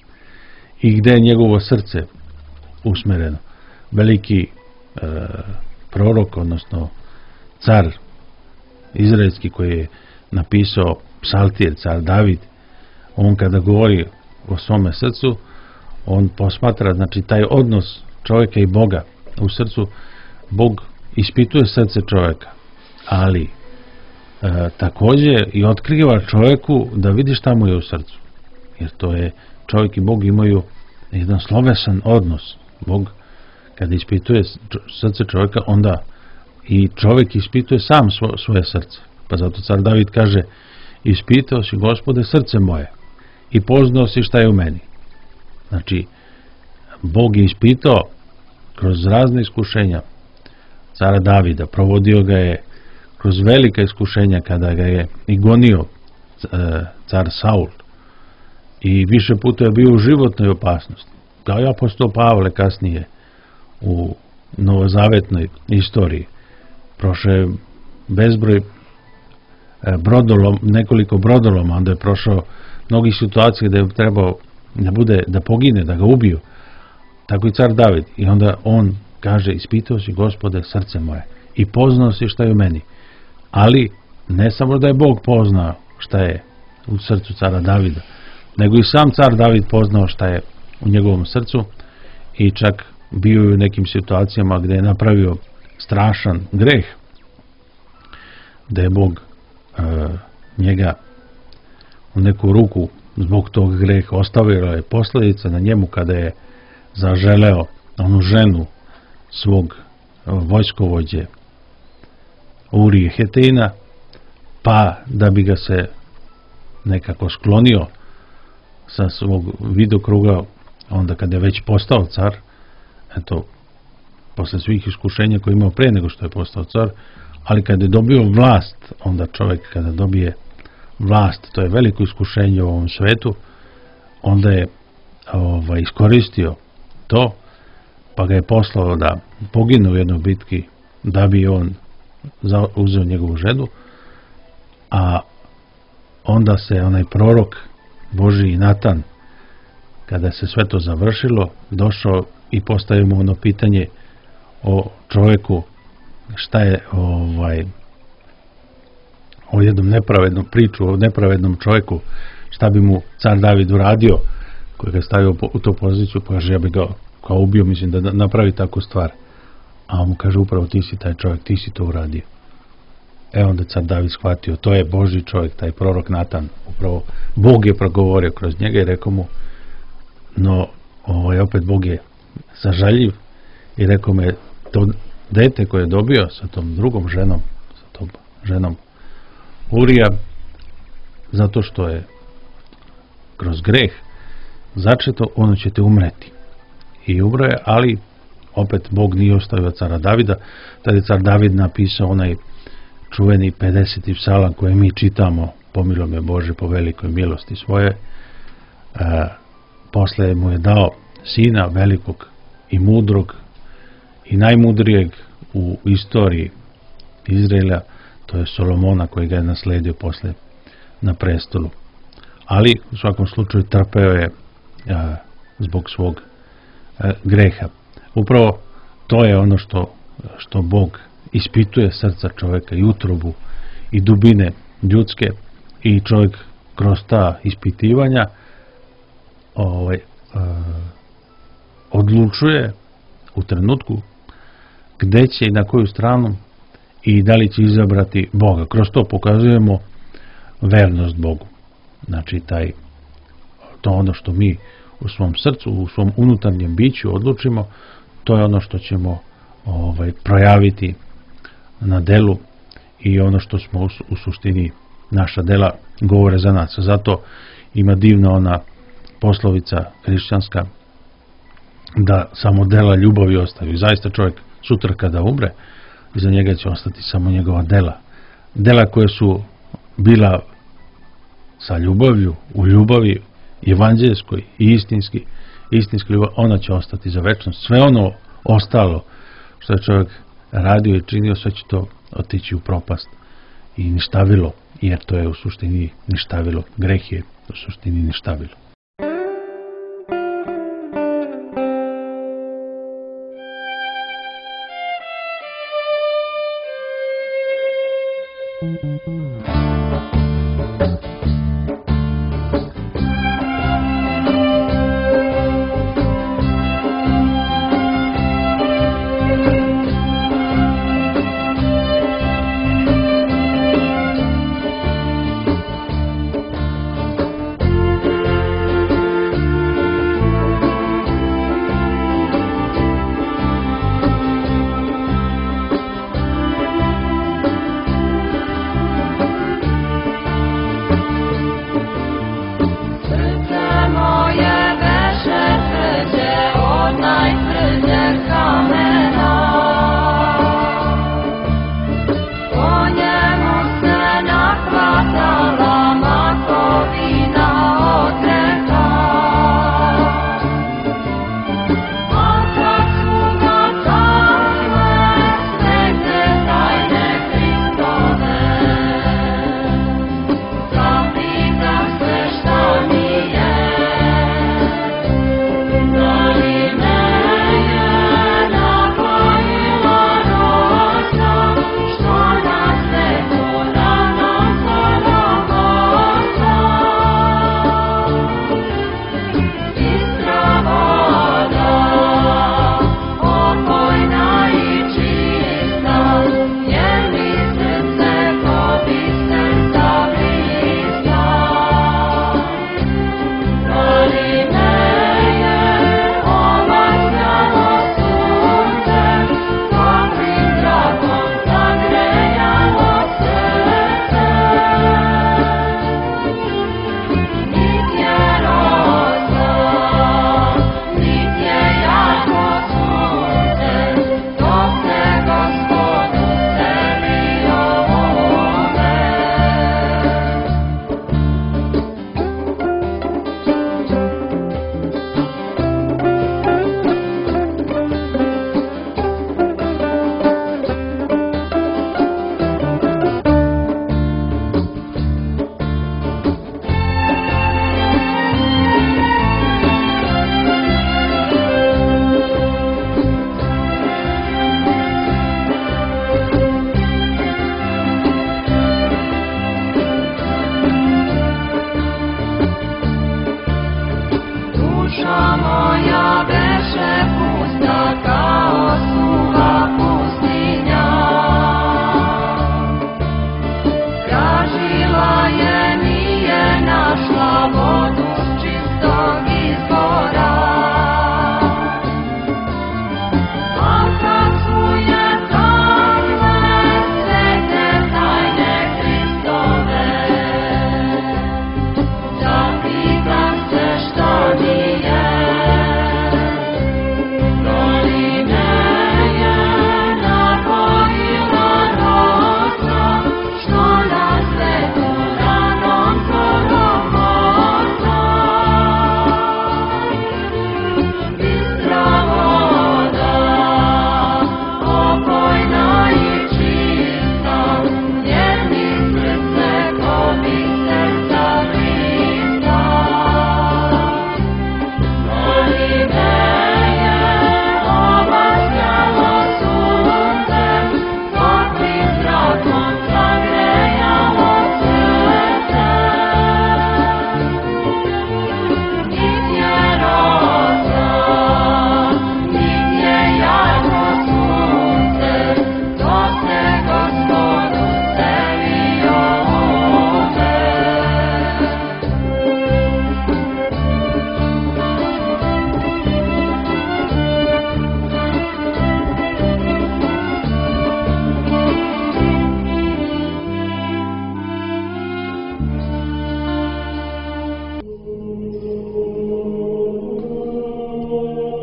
Speaker 4: i gde je njegovo srce usmereno. Veliki e, prorok, odnosno car izraelski koji je napisao psaltir, car David, on kada govori o svome srcu, on posmatra, znači, taj odnos čovjeka i Boga u srcu. Bog ispituje srce čovjeka, ali e, također i otkriva čovjeku da vidi šta mu je u srcu. Jer to je, čovjek i Bog imaju jedan slovesan odnos. Bog kada ispituje srce čovjeka, onda i čovjek ispituje sam svo, svoje srce. Pa zato car David kaže, ispitao si, Gospode, srce moje i poznao si šta je u meni. Znači, Bog je ispitao kroz razne iskušenja cara Davida, provodio ga je kroz velika iskušenja kada ga je i gonio car Saul i više puta je bio u životnoj opasnosti, kao i apostol Pavle kasnije u novozavetnoj istoriji. Prošao je bezbroj brodolom, nekoliko brodoloma, onda je prošao mnogih situacija gdje je trebao da bude, da pogine, da ga ubiju. Tako i car David. I onda on kaže, ispitao si, Gospode, srce moje i poznao si šta je u meni. Ali ne samo da je Bog poznao šta je u srcu cara Davida, nego i sam car David poznao šta je u njegovom srcu i čak bio je u nekim situacijama gdje je napravio strašan greh, da je Bog e, njega u neku ruku zbog tog greha ostavio je posljedice na njemu kada je zaželeo onu ženu svog vojskovođe Urije Hetina, pa da bi ga se nekako sklonio sa svog vidokruga, onda kada je već postao car, eto, posle svih iskušenja koje je imao pre nego što je postao car, ali kada je dobio vlast, onda čovjek kada dobije vlast, to je veliko iskušenje u ovom svetu, onda je ovaj, iskoristio to, pa ga je poslao da pogine u jednoj bitki da bi on uzeo njegovu ženu, a onda se onaj prorok Božiji Natan, kada se sve to završilo, došao i postavio mu ono pitanje o čovjeku, šta je ovaj, o jednom nepravednom priču, o nepravednom čovjeku, šta bi mu car David uradio, koji ga je stavio u tu poziciju, pa kaže, ja bi ga kao ubio, mislim da napravi takvu stvar. A on mu kaže, upravo ti si taj čovjek, ti si to uradio. E onda car David shvatio, to je Božji čovjek, taj prorok Natan, upravo Bog je progovorio kroz njega i rekao mu, no ovaj, opet Bog je sažaljiv i rekao me, to dete koje je dobio sa tom drugom ženom, sa tom ženom Urija, zato što je kroz greh začeto, ono ćete umreti. I umro je, ali opet Bog nije ostavio cara Davida. Tada je car David napisao onaj čuveni pedeseti psalam koji mi čitamo, pomilo me Bože po velikoj milosti svoje. E, posle mu je dao sina velikog i mudrog i najmudrijeg u istoriji Izraela, to je Solomona koji ga je nasledio posle na prestolu. Ali u svakom slučaju trpeo je a, zbog svog a, greha. Upravo to je ono što, što Bog ispituje srca čovjeka i utrobu i dubine ljudske i čovjek kroz ta ispitivanja ovaj, a, odlučuje u trenutku gdje će i na koju stranu i da li će izabrati Boga. Kroz to pokazujemo vernost Bogu. Znači, taj, to ono što mi u svom srcu, u svom unutarnjem biću odlučimo, to je ono što ćemo ovaj, projaviti na delu i ono što smo u, u suštini naša dela govore za nas. Zato ima divna ona poslovica hrišćanska da samo dela ljubavi ostaju. Zaista čovjek sutra kada umre, iza njega će ostati samo njegova dela. Dela koje su bila sa ljubavlju, u ljubavi evanđelskoj i istinski, istinski ljubav, ona će ostati za večnost. Sve ono ostalo što je čovjek radio i činio, sve će to otići u propast i ništavilo, jer to je u suštini ništavilo. Greh je u suštini ništavilo.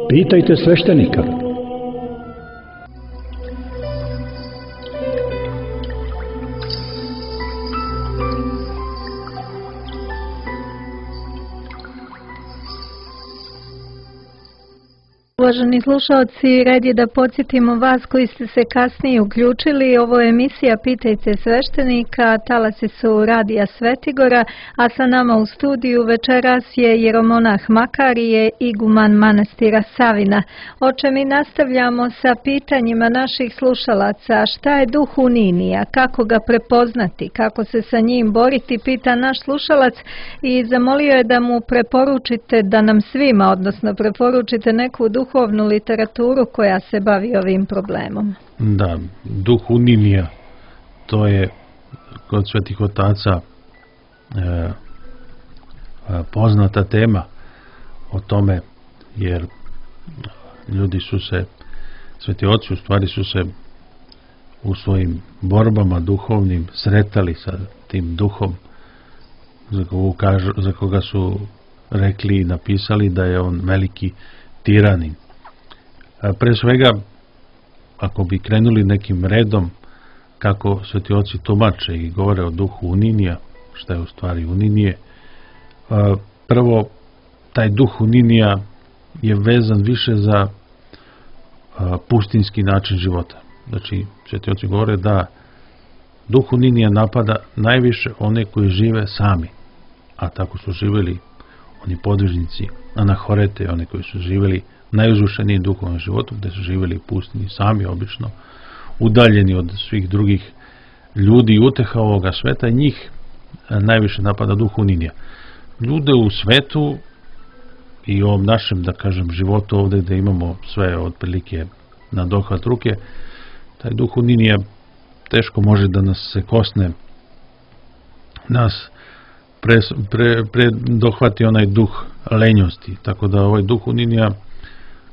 Speaker 1: Pitajte sveštenika.
Speaker 3: Uvaženi slušalci, red je da podsjetimo vas koji ste se kasnije uključili. Ovo je emisija Pitajte sveštenika, talasi su Radija Svetigora, a sa nama u studiju večeras je jeromonah Makarije, iguman manastira Savina. Oče, mi nastavljamo sa pitanjima naših slušalaca. Šta je duh uninija? Kako ga prepoznati? Kako se sa njim boriti? Pita naš slušalac i zamolio je da mu preporučite da nam svima, odnosno preporučite neku duh duhovnu literaturu koja se bavi ovim problemom.
Speaker 4: Da, duh uninija, to je kod svetih otaca e, poznata tema o tome, jer ljudi su se, sveti oci u stvari su se u svojim borbama duhovnim sretali sa tim duhom za koga, kažu, za koga su rekli i napisali da je on veliki tiranin. Pre svega, ako bi krenuli nekim redom kako sveti oci tumače i govore o duhu uninija, šta je u stvari uninije, prvo, taj duh uninija je vezan više za pustinski način života. Znači, sveti oci govore da duh uninija napada najviše one koji žive sami, a tako su živjeli oni podvižnici, anahorete, one koji su živjeli najuzvišeniji duhovnom životu, gdje su živjeli u pustinji sami, obično udaljeni od svih drugih ljudi i uteha ovoga sveta, i njih najviše napada duh uninija. Ljude u svetu i u ovom našem, da kažem, životu ovdje gdje imamo sve otprilike na dohvat ruke, taj duh uninija teško može da nas se kosne, nas pre, pre, pre dohvati onaj duh lenjosti, tako da ovaj duh uninija,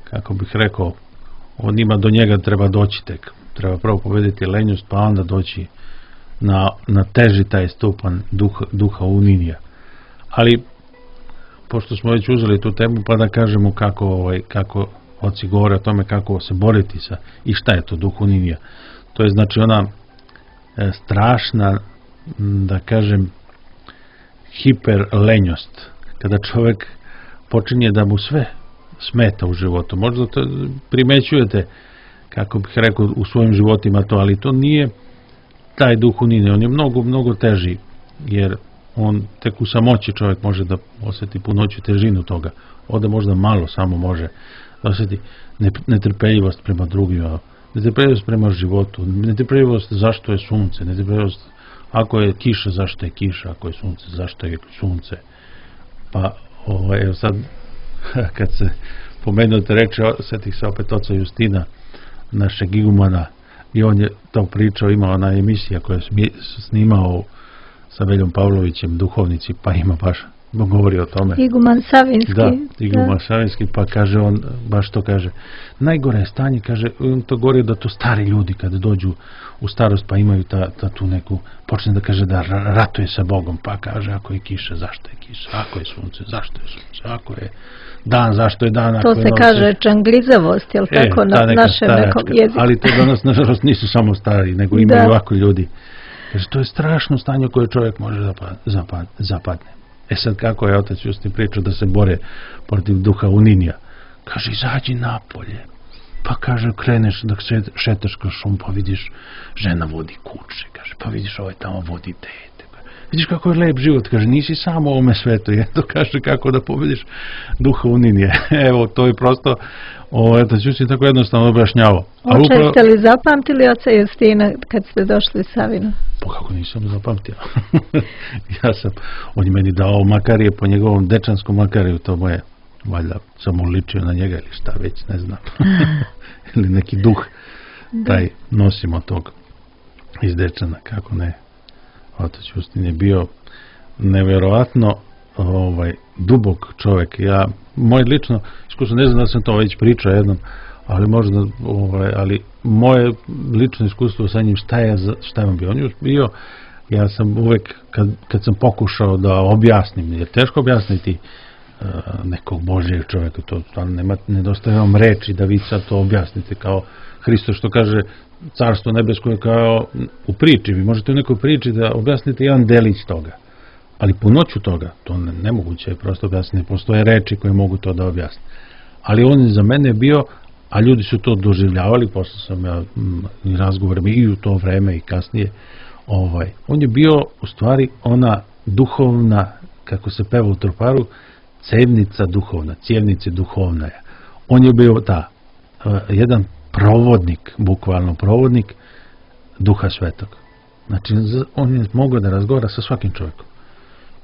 Speaker 4: kako bih rekao, on ima, do njega treba doći tek. Treba prvo pobediti lenjost, pa onda doći na, na teži taj stupan duh, duha uninija. Ali, pošto smo već uzeli tu temu, pa da kažemo kako, ovaj, kako oci govore o tome kako se boriti sa, i šta je to duh uninija. To je znači ona e, strašna, da kažem, hiperlenjost, kada čovjek počinje da mu sve smeta u životu. Možda to primećujete, kako bih rekao, u svojim životima to, ali to nije taj duh uninija. On je mnogo, mnogo teži, jer on tek u samoći čovjek može da osjeti punoću težinu toga. Ovdje možda malo samo može da osjeti netrpeljivost prema drugima, netrpeljivost prema životu, netrpeljivost zašto je sunce, netrpeljivost ako je kiša, zašto je kiša, ako je sunce, zašto je sunce. Pa, ovaj, evo sad, kad se pomenuo te reče, sjetih se opet oca Justina, našeg igumana, i on je to pričao, imao ona emisija koja je snimao sa Veljom Pavlovićem, duhovnici, pa ima baš, govori o tome.
Speaker 3: Iguman Savinski.
Speaker 4: Da, Iguman da. Savinski, pa kaže on, baš to kaže, najgore je stanje, kaže, on to govori da to stari ljudi kad dođu u starost pa imaju ta, ta tu neku, počne da kaže da ratuje sa Bogom, pa kaže ako je kiša, zašto je kiša, ako je sunce, zašto je sunce, ako je dan, zašto je dan,
Speaker 3: to
Speaker 4: ako je
Speaker 3: se
Speaker 4: noć,
Speaker 3: kaže čanglizavost, jel e, tako, na našem nekom jeziku. Ali
Speaker 4: to danas, nažalost, nisu samo stari, nego imaju da. Ovako ljudi. Kaže, to je strašno stanje koje čovjek može zapad, zapad, zapadne. E sad, kako je otac Justin pričao da se bore protiv duha uninija? Kaže, izađi napolje. Pa kaže, kreneš da šetaš kroz šum, pa vidiš žena vodi kuće, kaže, pa vidiš ovaj tamo vodi dete. Vidiš kako je lep život, kaže, nisi samo u ovome svetu. I eto kaže kako da pobediš duha uninije. Evo, to je prosto, o, eto, Justin tako jednostavno objašnjavao.
Speaker 3: Oče, upravo... ste li zapamtili oca Justina kad ste došli u Savinu?
Speaker 4: Pa kako nisam zapamtio. Ja sam, on je meni dao Makarije po njegovom dečanskom Makariju, to moje, valjda sam uličio na njega ili šta već, ne znam. Ili neki duh, taj nosimo tog iz dečana, kako ne. Otac Justin je bio nevjerovatno ovaj, dubok čovjek. Ja, moj lično iskustvo, ne znam da sam to već pričao jednom, ali možda, ovaj, ali moje lično iskustvo sa njim, šta je, šta je on bio? On je bio, ja sam uvek, kad, kad sam pokušao da objasnim, jer teško objasniti nekog Božijeg čovjeka, to stvarno nema, nedostaje vam reči da vi sad to objasnite, kao Hristo što kaže carstvo nebesko je kao u priči, vi možete u nekoj priči da objasnite jedan delić toga, ali punoću toga, to ne, nemoguće je prosto objasniti, postoje reči koje mogu to da objasne. Ali on za mene bio, a ljudi su to doživljavali, posle sam ja i razgovorom i u to vreme i kasnije, ovaj, on je bio u stvari ona duhovna, kako se peva u troparu, cevnica duhovna, cjevnice duhovna. On je bio ta, jedan provodnik, bukvalno provodnik Duha Svetog. Znači, on je mogao da razgovara sa svakim čovjekom.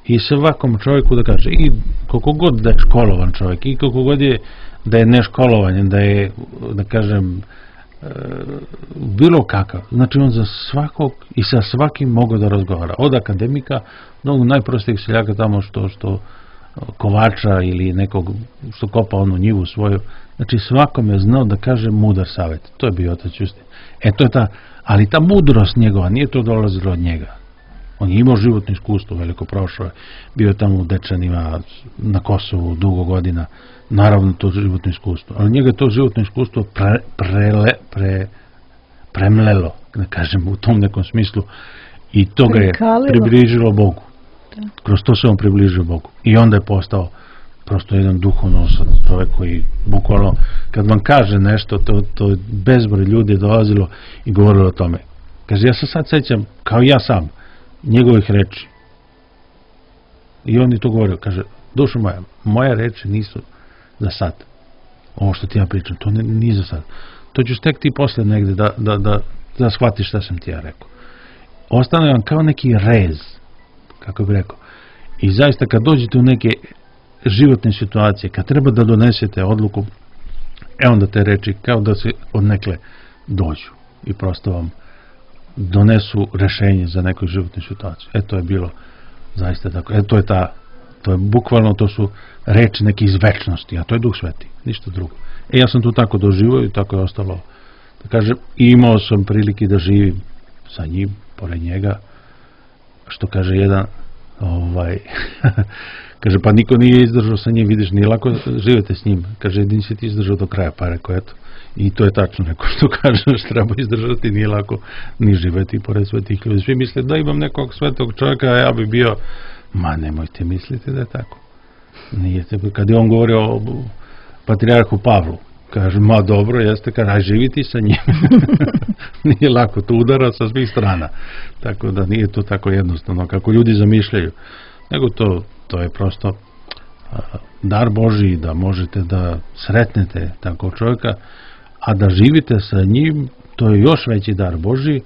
Speaker 4: I svakom čovjeku da kaže, i koliko god da je školovan čovjek, i koliko god je da je neškolovan, da je, da kažem, bilo kakav. Znači, on za svakog i sa svakim mogao da razgovara. Od akademika do najprostijeg seljaka tamo što, što kovača ili nekog što kopa onu njivu svoju. Znači, svakom je znao da kaže mudar savjet. To je bio otac Justin. E, to je ta, ali ta mudrost njegova, nije to dolazilo od njega. On je imao životno iskustvo, veliko prošao je. Bio je tamo u Dečanima, na Kosovu, dugo godina. Naravno, to životno iskustvo. Ali njega to životno iskustvo pre, prele, pre, premlelo, da kažem, u tom nekom smislu. I to ga je približilo Bogu. Kroz to se on približio Bogu. I onda je postao prosto jedan duhovno čovjek koji bukvalno, kad vam kaže nešto, to, to bezbroj ljudi je dolazilo i govorilo o tome. Kaže, ja se sad sećam, kao ja sam, njegovih reči. I on je to govorio, kaže, dušo moja, moje reči nisu za sad. Ovo što ti ja pričam, to ne, nije za sad. To ćeš tek ti posle negde da, da, da, da shvatiš šta sam ti ja rekao. Ostane vam kao neki rez, kako bih rekao. I zaista kad dođete u neke životne situacije, kad treba da donesete odluku, e onda te reči kao da se odnekle dođu i prosto vam donesu rešenje za neku životnu situaciju. E to je bilo zaista tako. E to je ta, to je bukvalno, to su reči neke iz večnosti, a to je Duh Sveti, ništa drugo. E ja sam tu tako doživio i tako je ostalo. Da kažem, imao sam prilike da živim sa njim, pored njega, što kaže jedan, ovaj, kaže, pa niko nije izdržao sa njim, vidiš, nije lako živete s njim. Kaže, jedin si ti izdržao do kraja, pa rekao, eto. I to je tačno, neko što kažeš, treba izdržati, nije lako ni živeti pored svetih ljudi. Svi misle da imam nekog svetog čovjeka, a ja bi bio, ma nemojte misliti da je tako. Nije te, kad je on govorio o patrijarhu Pavlu, kaže, ma dobro, jeste, kaže, aj živiti sa njim. Nije lako, to udara sa svih strana. Tako da nije to tako jednostavno, kako ljudi zamišljaju. Nego to, to je prosto a, dar Božiji, da možete da sretnete tako čovjeka, a da živite sa njim, to je još veći dar Božiji,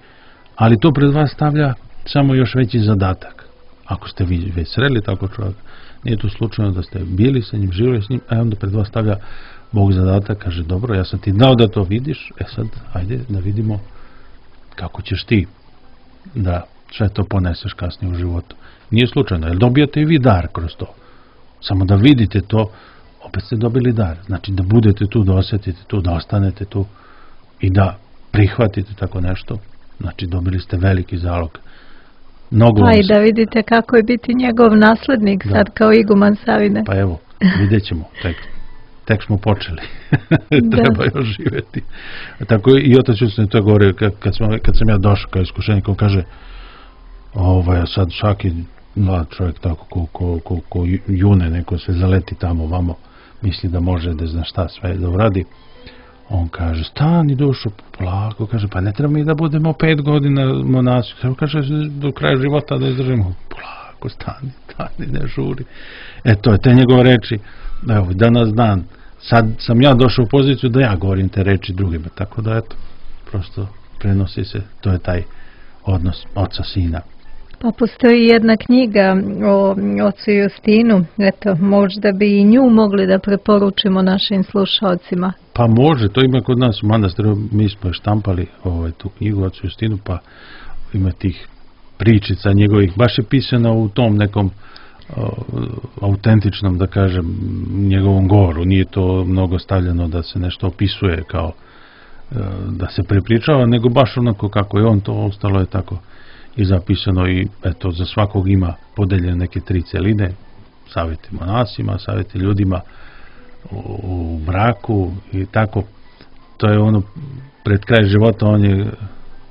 Speaker 4: ali to pred vas stavlja samo još veći zadatak. Ako ste vi već sreli tako čovjeka, nije to slučajno da ste bili sa njim, živjeli s njim, a onda pred vas stavlja Bog zadatak, kaže, dobro, ja sam ti dao da to vidiš, e sad, ajde da vidimo kako ćeš ti da sve to poneseš kasnije u životu. Nije slučajno, jer dobijate i vi dar kroz to. Samo da vidite to, opet ste dobili dar. Znači da budete tu, da osjetite tu, da ostanete tu i da prihvatite tako nešto. Znači dobili ste veliki zalog. Mnogo
Speaker 3: pa i da vidite kako je biti njegov naslednik, da. Sad kao iguman Savine.
Speaker 4: Pa evo, vidjet ćemo. Tek, tek smo počeli. Treba još živjeti. Tako i otac Justin to je govorio kad, kad, sam, kad sam ja došao kao iskušenik, on kaže, ovaj, sad svaki mlad čovjek tako ko, ko, ko, ko june neko se zaleti tamo vamo, misli da može da zna šta sve da uradi. On kaže, stani dušo, polako, kaže, pa ne treba mi da budemo pet godina monasi, kaže, do kraja života da izdržimo, polako, stani, stani, ne žuri. E to je te njegove reči, evo, danas dan, sad sam ja došao u poziciju da ja govorim te reči drugima, tako da eto, prosto prenosi se, to je taj odnos oca sina.
Speaker 3: Pa postoji jedna knjiga o ocu Justinu, eto, možda bi i nju mogli da preporučimo našim slušalcima.
Speaker 4: Pa može, to ima kod nas u manastiru, mi smo štampali ovaj, tu knjigu o ocu Justinu, pa ima tih pričica njegovih, baš je pisano u tom nekom o, autentičnom, da kažem, njegovom govoru, nije to mnogo stavljeno da se nešto opisuje kao da se prepričava, nego baš onako kako je on to, ostalo je tako i zapisano i eto, za svakog ima podeljene neke tri celine, savjeti monasima, savjeti ljudima u, u braku i tako. To je ono, pred kraj života on je,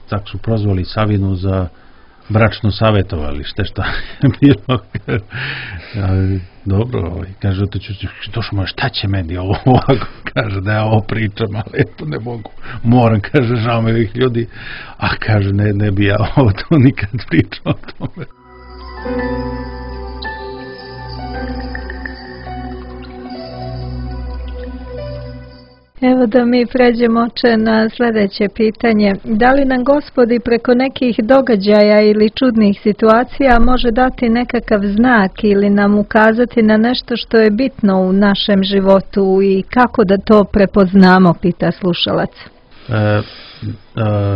Speaker 4: tako su prozvali Savinu za bračno savjetovalište, šta je bilo. Ali, dobro, ovaj, kaže, to što šta će meni ovo ovako, kaže, da ja ovo pričam, ali eto ne mogu, moram, kaže, žao me ovih ljudi, a kaže, ne, ne bi ja ovo to nikad pričao o tome.
Speaker 3: Evo da mi pređemo, oče, na sljedeće pitanje. Da li nam Gospod i preko nekih događaja ili čudnih situacija može dati nekakav znak ili nam ukazati na nešto što je bitno u našem životu i kako da to prepoznamo, pita slušalac.
Speaker 4: E, e,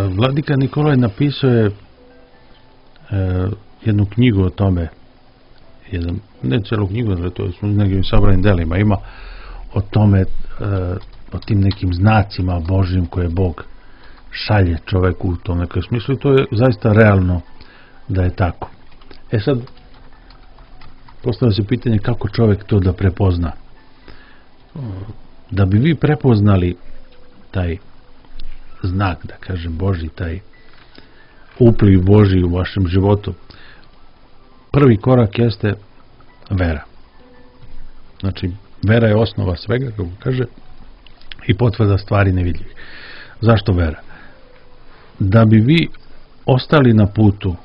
Speaker 4: Vladika Nikolaj napisao je e, jednu knjigu o tome, jedan, ne celu knjigu, ali to je s nekim sabranim delima, ima o tome, e, o tim nekim znacima Božjim koje Bog šalje čoveku u tom nekom smislu i to je zaista realno da je tako. E sad, postavlja se pitanje kako čovjek to da prepozna. Da bi vi prepoznali taj znak, da kažem Božji, taj upliv Božji u vašem životu, prvi korak jeste vera. Znači, vera je osnova svega, kako kaže, i potvrda stvari nevidljivih. Zašto vera? Da bi vi ostali na putu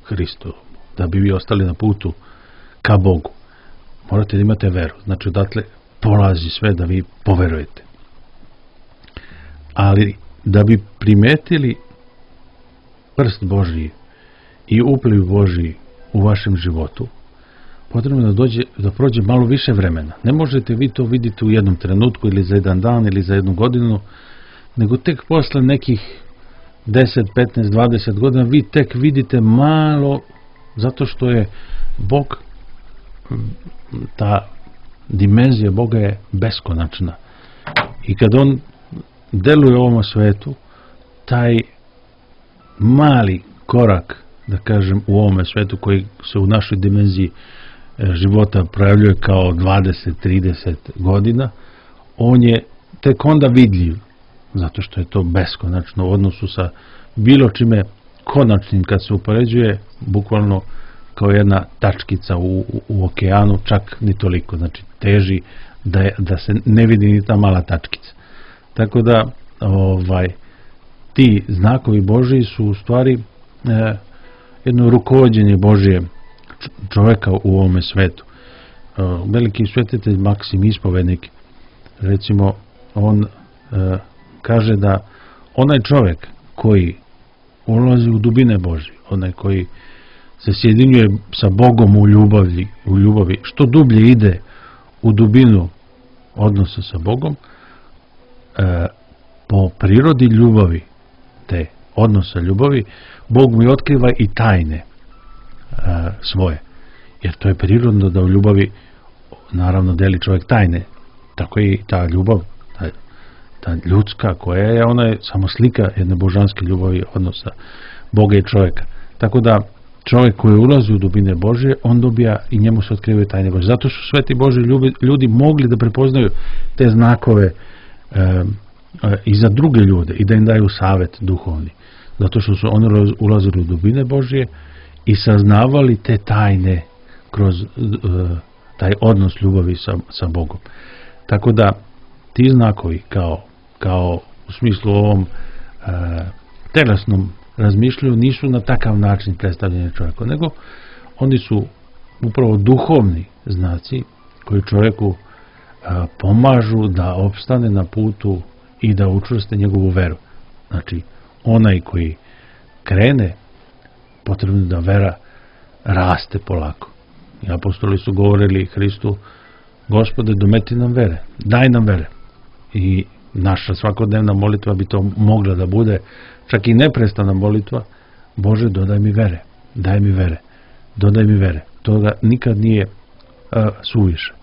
Speaker 4: Hristovu, da bi vi ostali na putu ka Bogu, morate da imate veru. Znači, odatle polazi sve da vi poverujete. Ali, da bi primetili prst Božji i upliv Božji u vašem životu, potrebno da dođe, da prođe malo više vremena. Ne možete vi to vidjeti u jednom trenutku ili za jedan dan ili za jednu godinu, nego tek posle nekih deset, petnaest, dvadeset godina vi tek vidite malo, zato što je Bog, ta dimenzija Boga je beskonačna. I kad on deluje u ovom svetu, taj mali korak, da kažem, u ovom svetu koji se u našoj dimenziji života projavljuje kao dvadeset do trideset godina, on je tek onda vidljiv, zato što je to beskonačno u odnosu sa bilo čime konačnim kad se upoređuje, bukvalno kao jedna tačkica u, u, u okeanu, čak ni toliko, znači teži da, je, da se ne vidi ni ta mala tačkica. Tako da ovaj, ti znakovi Božji su u stvari eh, jedno rukovođenje Božje čovjeka u ovome svetu. Veliki svetitelj Maksim Ispovednik, recimo, on e, kaže da onaj čovjek koji ulazi u dubine Božje, onaj koji se sjedinjuje sa Bogom u ljubavi, u ljubavi, što dublje ide u dubinu odnosa sa Bogom, e, po prirodi ljubavi, te odnosa ljubavi, Bog mu otkriva i tajne svoje. Jer to je prirodno da u ljubavi naravno deli čovjek tajne. Tako i ta ljubav, ta, ta ljudska koja je, ona je samo slika jedne božanske ljubavi odnosa Boga i čovjeka. Tako da čovjek koji ulazi u dubine Božje, on dobija i njemu se otkrivaju tajne Božje. Zato su sveti Božji ljudi mogli da prepoznaju te znakove e, e, i za druge ljude i da im daju savjet duhovni. Zato što su oni ulazili u dubine Božje i saznavali te tajne kroz uh, taj odnos ljubavi sa, sa Bogom. Tako da ti znakovi kao, kao u smislu ovom uh, telesnom razmišljaju nisu na takav način predstavljeni čovjeku, nego oni su upravo duhovni znaci koji čovjeku uh, pomažu da opstane na putu i da učvrste njegovu veru. Znači, onaj koji krene, potrebno da vera raste polako. I apostoli su govorili Hristu: Gospode, dometi nam vere, daj nam vere. I naša svakodnevna molitva bi to mogla da bude, čak i neprestana molitva: Bože, dodaj mi vere, daj mi vere, dodaj mi vere. Toga nikad nije uh, suviše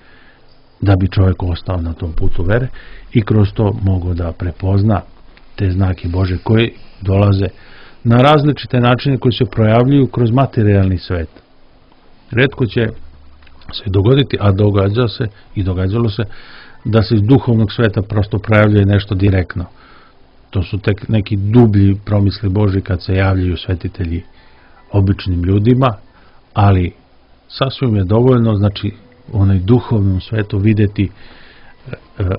Speaker 4: da bi čovjek ostao na tom putu vere i kroz to mogao da prepozna te znake Bože koji dolaze na različite načine koji se projavljuju kroz materijalni svet. Retko će se dogoditi, a događa se i događalo se da se iz duhovnog sveta prosto projavljuje nešto direktno. To su tek neki dublji promisli Božji kad se javljaju svetitelji običnim ljudima, ali sasvim je dovoljno, znači, u onaj duhovnom svetu vidjeti,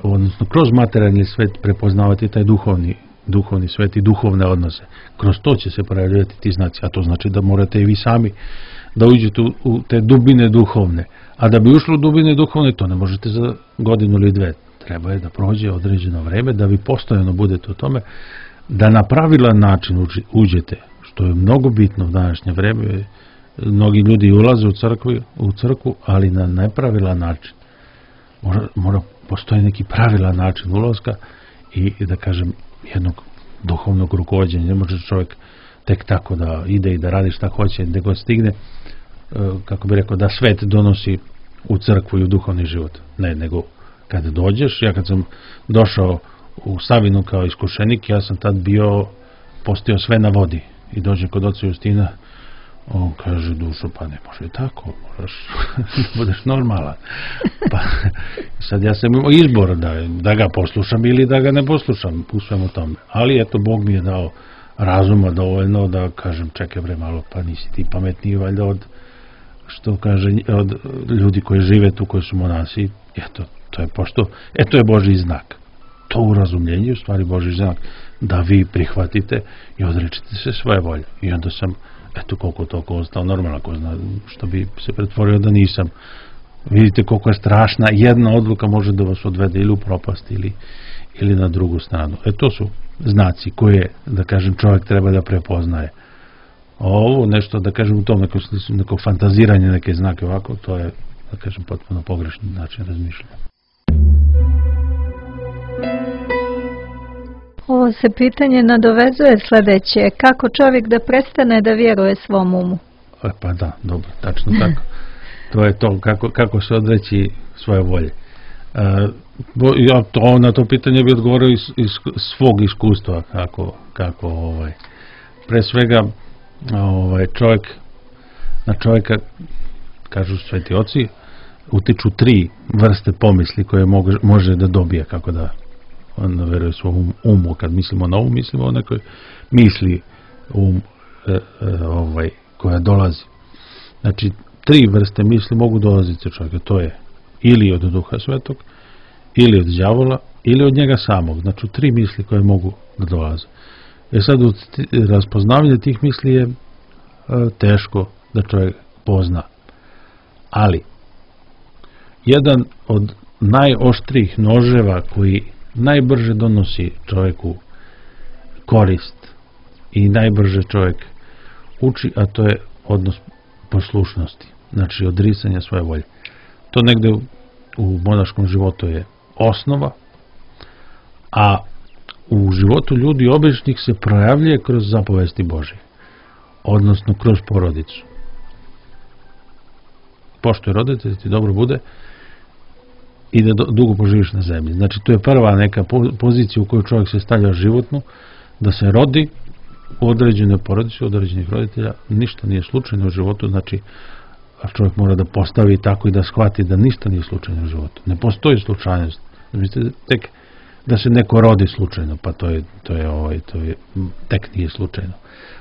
Speaker 4: odnosno kroz materijalni svet prepoznavati taj duhovni, duhovni svet i duhovne odnose. Kroz to će se projavljati ti znaci, a to znači da morate i vi sami da uđete u, u te dubine duhovne. A da bi ušli u dubine duhovne, to ne možete za godinu ili dve. Treba je da prođe određeno vreme, da vi postojano budete u tome, da na pravilan način uđete, što je mnogo bitno u današnje vreme. Mnogi ljudi ulaze u crkvu, u crkvu, ali na nepravilan način. Mora, mora postoji neki pravilan način ulaska i, da kažem, jednog duhovnog rukovođenja. Ne može čovjek tek tako da ide i da radi šta hoće, gdje god stigne, kako bi rekao, da svet donosi u crkvu i u duhovni život. Ne, nego kada dođeš, ja kad sam došao u Savinu kao iskušenik, ja sam tad bio, postio sve na vodi i dođem kod oca Justina, on kaže, Dušo, pa ne može tako, moraš da budeš normalan. Pa sad ja sam imao izbor da, da ga poslušam ili da ga ne poslušam u svemu tome. Ali eto, Bog mi je dao razuma dovoljno da kažem, čekaj bre malo, pa nisi ti pametniji valjda od, što kaže, od ljudi koji žive tu, koji su monasi. Eto, to je pošto, eto je Božji znak. To urazumljenje je u stvari Božji znak, da vi prihvatite i odrečite se svoje volje. I onda sam, eto koliko toliko ostao normalno, ko zna što bi se pretvorio da nisam. Vidite koliko je strašna, jedna odluka može da vas odvede ili u propast ili, ili na drugu stranu. E to su znaci koje, da kažem, čovjek treba da prepoznaje. Ovo nešto, da kažem, u tom neko, neko fantaziranje, neke znake ovako, to je, da kažem, potpuno pogrešni način razmišljanja.
Speaker 3: Ovo se pitanje nadovezuje sljedeće. Kako čovjek da prestane da vjeruje svom umu?
Speaker 4: E, pa da, dobro, tačno tako. To je to, kako, kako se odreći svoje volje. E, bo, ja to, na to pitanje bi odgovorio iz, iz svog iskustva, kako, kako ovaj, pre svega ovaj, čovjek, na čovjeka, kažu sveti oci, utiču tri vrste pomisli koje mogu, može da dobije, kako da on veruje svom umu. Kad mislimo na um, mislimo o nekoj misli um, e, e, ovaj, koja dolazi. Znači, tri vrste misli mogu dolaziti od čovjeka. To je ili od Duha Svetog, ili od đavola, ili od njega samog. Znači, tri misli koje mogu da dolaze. E sad, raspoznavanje tih misli je e, teško da čovjek pozna. Ali, jedan od najoštrijih noževa koji najbrže donosi čovjeku korist i najbrže čovjek uči, a to je odnos poslušnosti, znači odricanja svoje volje. To negde u monaškom životu je osnova, a u životu ljudi običnih se projavljuje kroz zapovesti Božje, odnosno kroz porodicu. Pošto je roditelj, ti dobro bude i da dugo poživiš na zemlji. Znači, to je prva neka pozicija u kojoj čovjek se stavlja životnu, da se rodi u određenoj porodici, u određenih roditelja. Ništa nije slučajno u životu, znači, a čovjek mora da postavi tako i da shvati da ništa nije slučajno u životu. Ne postoji slučajnost. Znači, tek da se neko rodi slučajno, pa to je, to je, ovaj, to je, tek nije slučajno.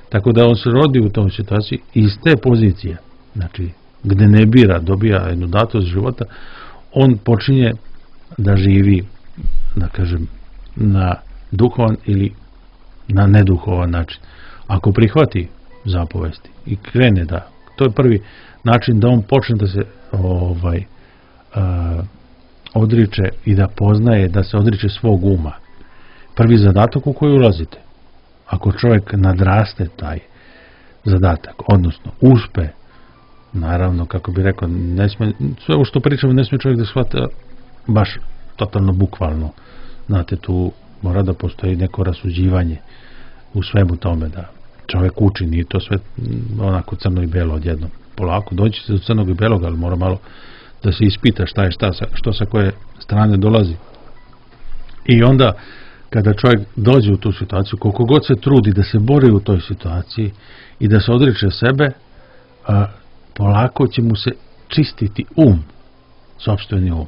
Speaker 4: Tako da on se rodi u tom situaciji iz te pozicije, znači, gde ne bira, dobija jednu datost života, on počinje da živi, da kažem, na duhovan ili na neduhovan način. Ako prihvati zapovesti i krene da, to je prvi način da on počne da se ovaj, a, odriče i da poznaje, da se odriče svog uma. Prvi zadatak u koji ulazite. Ako čovjek nadraste taj zadatak, odnosno uspe, naravno, kako bi rekao, ne sme, sve ovo što pričamo ne smije čovjek da shvata baš totalno bukvalno. Znate, tu mora da postoji neko rasuđivanje u svemu tome, da čovjek uči, nije to sve onako crno i belo odjednom. Polako, doći se do crnog i belog, ali mora malo da se ispita šta je šta, što sa koje strane dolazi. I onda, kada čovjek dođe u tu situaciju, koliko god se trudi da se bori u toj situaciji i da se odriče sebe, a, polako će mu se čistiti um, sopstveni um.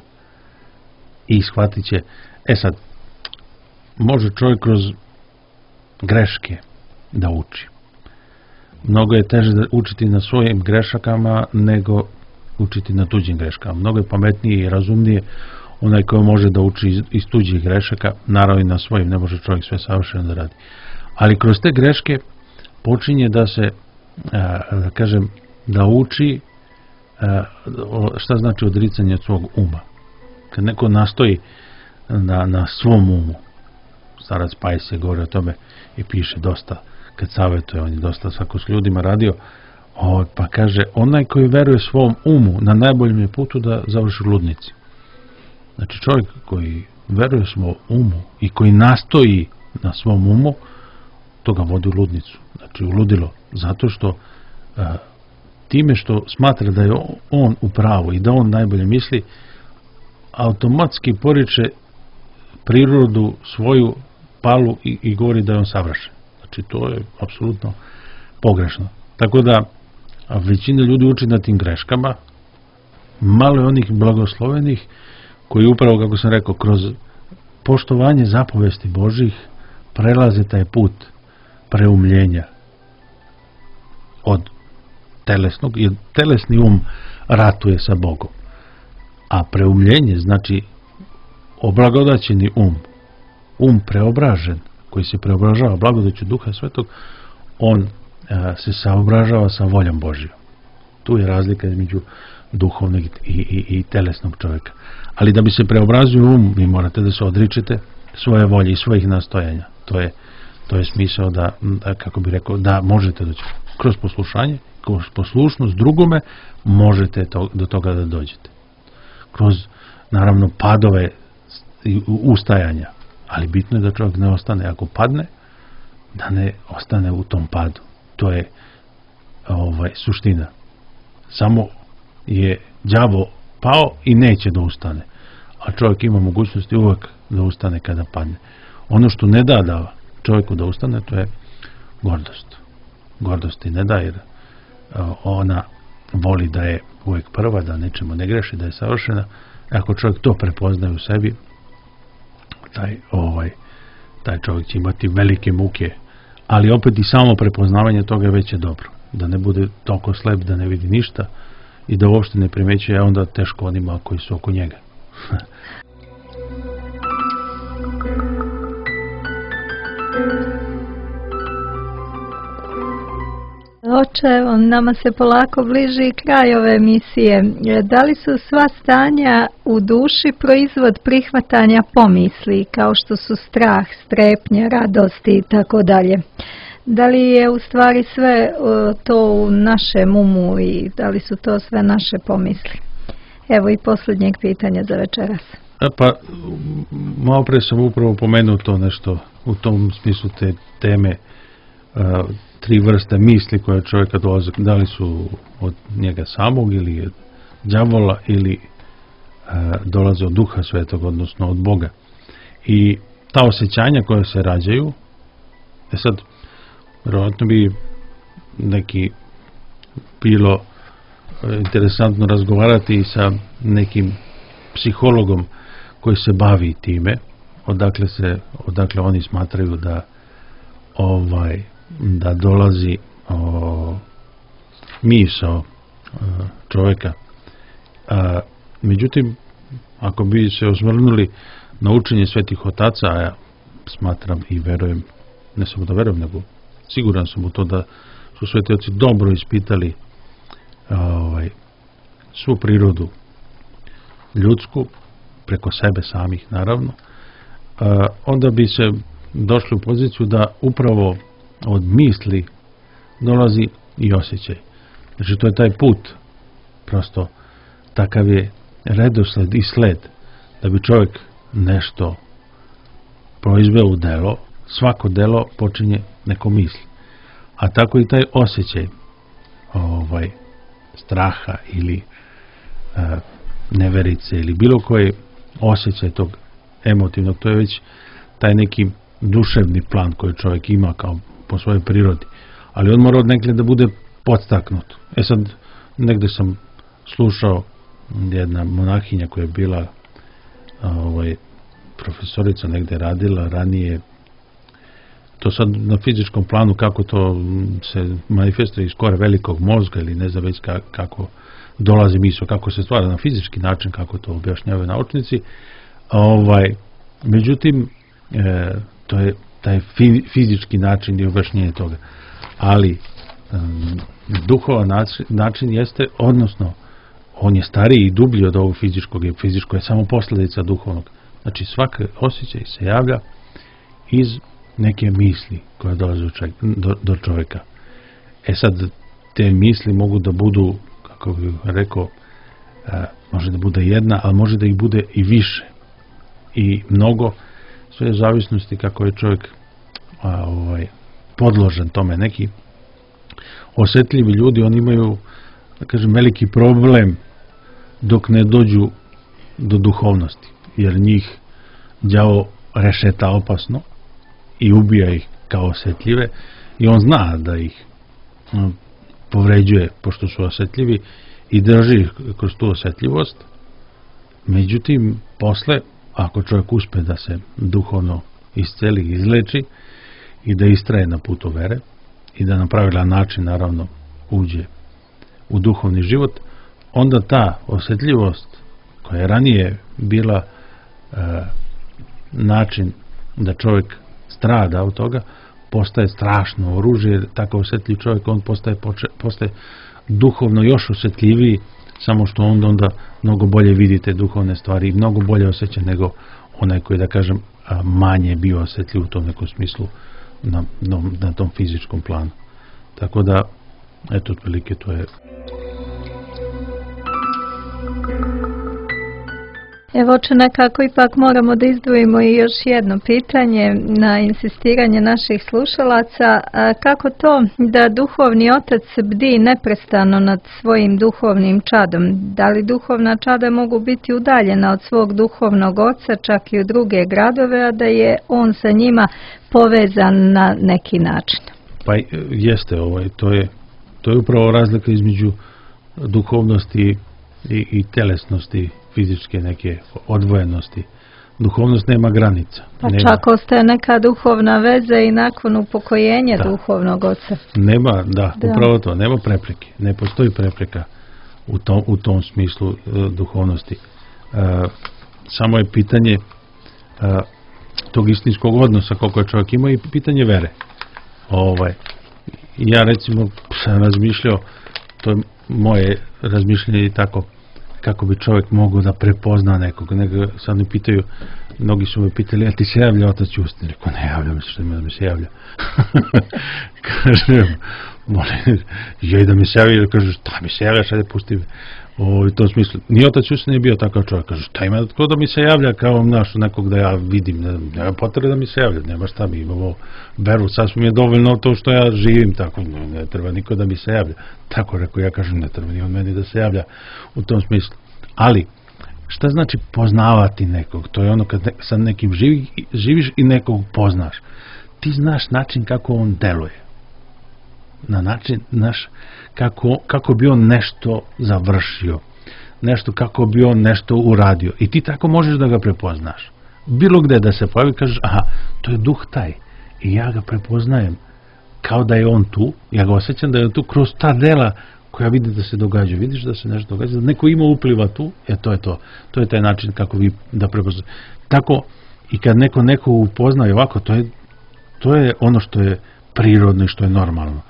Speaker 4: I shvatit će, e sad, može čovjek kroz greške da uči. Mnogo je teže da učiti na svojim grešakama nego učiti na tuđim greškama. Mnogo je pametnije i razumnije onaj koji može da uči iz, iz tuđih grešaka, naravno i na svojim, ne može čovjek sve savršeno da radi. Ali kroz te greške počinje da se, da kažem, da uči šta znači odricanje od svog uma. Kad neko nastoji na, na svom umu, starac Pajs je govori o tome i piše dosta, kad savjetuje, on je dosta svako s ljudima radio, o, pa kaže, onaj koji veruje svom umu, na najboljem je putu da završi u ludnici. Znači čovjek koji veruje svom umu i koji nastoji na svom umu, to ga vodi u ludnicu, znači u ludilo, zato što a, time što smatra da je on u pravu i da on najbolje misli, automatski poriče prirodu svoju palu i, i govori da je on savršen. Znači to je apsolutno pogrešno. Tako da većina ljudi uči na tim greškama, malo je onih blagoslovenih koji upravo, kako sam rekao, kroz poštovanje zapovesti Božih prelaze taj put preumljenja od telesnog, jer telesni um ratuje sa Bogom. A preumljenje znači oblagodaćeni um, um preobražen, koji se preobražava blagodaću Duha Svetog, on a, se saobražava sa voljom Božijom. Tu je razlika između duhovnog i, i, i telesnog čovjeka. Ali da bi se preobrazio um, vi morate da se odričete svoje volje i svojih nastojanja. To je, to je smisao da, da, kako bi rekao, da možete doći kroz poslušanje, kroz poslušnost drugome, možete to, do toga da dođete. Kroz, naravno, padove i ustajanja. Ali bitno je da čovjek ne ostane. Ako padne, da ne ostane u tom padu. To je ovaj, suština. Samo je đavo pao i neće da ustane. A čovjek ima mogućnosti uvijek da ustane kada padne. Ono što ne da da čovjeku da ustane, to je gordost. Gordost i ne da, jer ona voli da je uvijek prva, da nečemu ne greši, da je savršena. Ako čovjek to prepoznaje u sebi, taj, ovaj, taj čovjek će imati velike muke. Ali opet i samo prepoznavanje toga je već je dobro. Da ne bude toliko slep, da ne vidi ništa i da uopšte ne primećuje, a onda teško onima koji su oko njega.
Speaker 3: Oče, evo, nama se polako bliži kraj ove emisije. Da li su sva stanja u duši proizvod prihvatanja pomisli, kao što su strah, strepnja, radosti i tako dalje? Da li je u stvari sve to u našem umu i da li su to sve naše pomisli? Evo i posljednjeg pitanja za večeras.
Speaker 4: E pa, malo pre sam upravo pomenuo to nešto u tom smislu te teme, a, tri vrste misli koje čovjeka dolaze, da li su od njega samog ili od đavola ili a, dolaze od Duha Svetog, odnosno od Boga. I ta osjećanja koja se rađaju, je sad, vjerojatno bi neki bilo interesantno razgovarati sa nekim psihologom koji se bavi time, odakle se, odakle oni smatraju da ovaj da dolazi o, misao o, čovjeka. A, međutim, ako bi se osvrnuli na učenje svetih otaca, a ja smatram i verujem, ne samo da verujem, nego siguran sam u to da su sveti oci dobro ispitali ovaj, svu prirodu ljudsku, preko sebe samih naravno, a, onda bi se došli u poziciju da upravo od misli dolazi i osjećaj. Znači to je taj put, prosto takav je redosled i sled da bi čovjek nešto proizveo u delo. Svako delo počinje neko misli. A tako i taj osjećaj ovaj, straha ili e, neverice ili bilo koji osjećaj tog emotivnog, to je već taj neki duševni plan koji čovjek ima kao po svojoj prirodi. Ali on mora od nekle da bude podstaknut. E sad, negde sam slušao jedna monahinja koja je bila ovaj, profesorica negde radila ranije, to sad na fizičkom planu kako to se manifestuje iz kore velikog mozga ili ne znam već kako dolazi misao, kako se stvara na fizički način, kako to objašnjavaju naučnici. Ovaj, međutim, e, to je taj fizički način i objašnjenje toga. Ali um, duhovan način, način jeste, odnosno on je stariji i dublji od ovog fizičkog, jer fizičko je samo posljedica duhovnog. Znači svaki osjećaj se javlja iz neke misli koja dolaze do, do čovjeka. E sad, te misli mogu da budu, kako bih rekao, a, može da bude jedna, ali može da ih bude i više. I mnogo, sve u zavisnosti kako je čovjek a, ovaj, podložen tome. Neki osjetljivi ljudi, oni imaju, da kažem, veliki problem dok ne dođu do duhovnosti, jer njih đavo rešeta opasno i ubija ih kao osjetljive i on zna da ih um, povređuje pošto su osjetljivi i drži ih kroz tu osjetljivost. Međutim, posle, ako čovjek uspe da se duhovno isceli, izleči i da istraje na putu vere i da na pravilan način naravno uđe u duhovni život, onda ta osjetljivost koja je ranije bila e, način da čovjek strada od toga, postaje strašno oružje, jer tako osjetljiv čovjek, on postaje, poče, postaje duhovno još osjetljiviji, samo što onda, onda mnogo bolje vidite duhovne stvari i mnogo bolje osjeća nego onaj koji, da kažem, manje bio osjetljiv u tom nekom smislu na, na, na tom fizičkom planu. Tako da, eto, otprilike to je.
Speaker 3: Evo, oče, nekako ipak moramo da izdvojimo i još jedno pitanje na insistiranje naših slušalaca. Kako to da duhovni otac bdi neprestano nad svojim duhovnim čadom? Da li duhovna čada mogu biti udaljena od svog duhovnog oca čak i u druge gradove, a da je on sa njima povezan na neki način?
Speaker 4: Pa jeste, ovaj, to je, to je upravo razlika između duhovnosti i, i telesnosti, fizičke neke odvojenosti. Duhovnost nema granica.
Speaker 3: Pa
Speaker 4: nema.
Speaker 3: Čak ostaje neka duhovna veza i nakon upokojenja
Speaker 4: da. duhovnog
Speaker 3: oca.
Speaker 4: Nema, da, da, upravo to, nema prepreke. Ne postoji prepreka u tom, u tom smislu uh, duhovnosti. Uh, samo je pitanje uh, tog istinskog odnosa koliko je čovjek ima i pitanje vere. Ovaj, ja recimo sam razmišljao, to je moje razmišljanje i tako, kako bi čovjek mogao da prepozna nekog. Nego sad mi pitaju, mnogi su me pitali, ja ti se javlja otac Justin? Rekao, ne javlja mi se, što ima da mi se javlja. Kažem, molim, joj da mi se javlja, kažu, šta mi se javlja, šta da pusti me. U tom smislu, ni otac Justin nije bio takav čovjek. Kažu, šta ima tko da mi se javlja kao naš, nekog da ja vidim, ne, nema potrebe da mi se javlja, nema šta mi imamo veru, sasvim je dovoljno to što ja živim, tako, ne, ne treba niko da mi se javlja. Tako rekao, ja kažem, ne treba ni on meni da se javlja u tom smislu. Ali, šta znači poznavati nekog? To je ono kad ne, sa nekim živi, živiš i nekog poznaš. Ti znaš način kako on deluje. Na način, znaš, kako, kako bi on nešto završio, nešto kako bi on nešto uradio. I ti tako možeš da ga prepoznaš. Bilo gde da se pojavi, kažeš, aha, to je duh taj. I ja ga prepoznajem kao da je on tu, ja ga osjećam da je on tu kroz ta dela koja vidi da se događa. Vidiš da se nešto događa, da neko ima upliva tu, e to je to. To je taj način kako vi da prepoznate. Tako, i kad neko neko upoznaje ovako, to je, to je ono što je prirodno i što je normalno.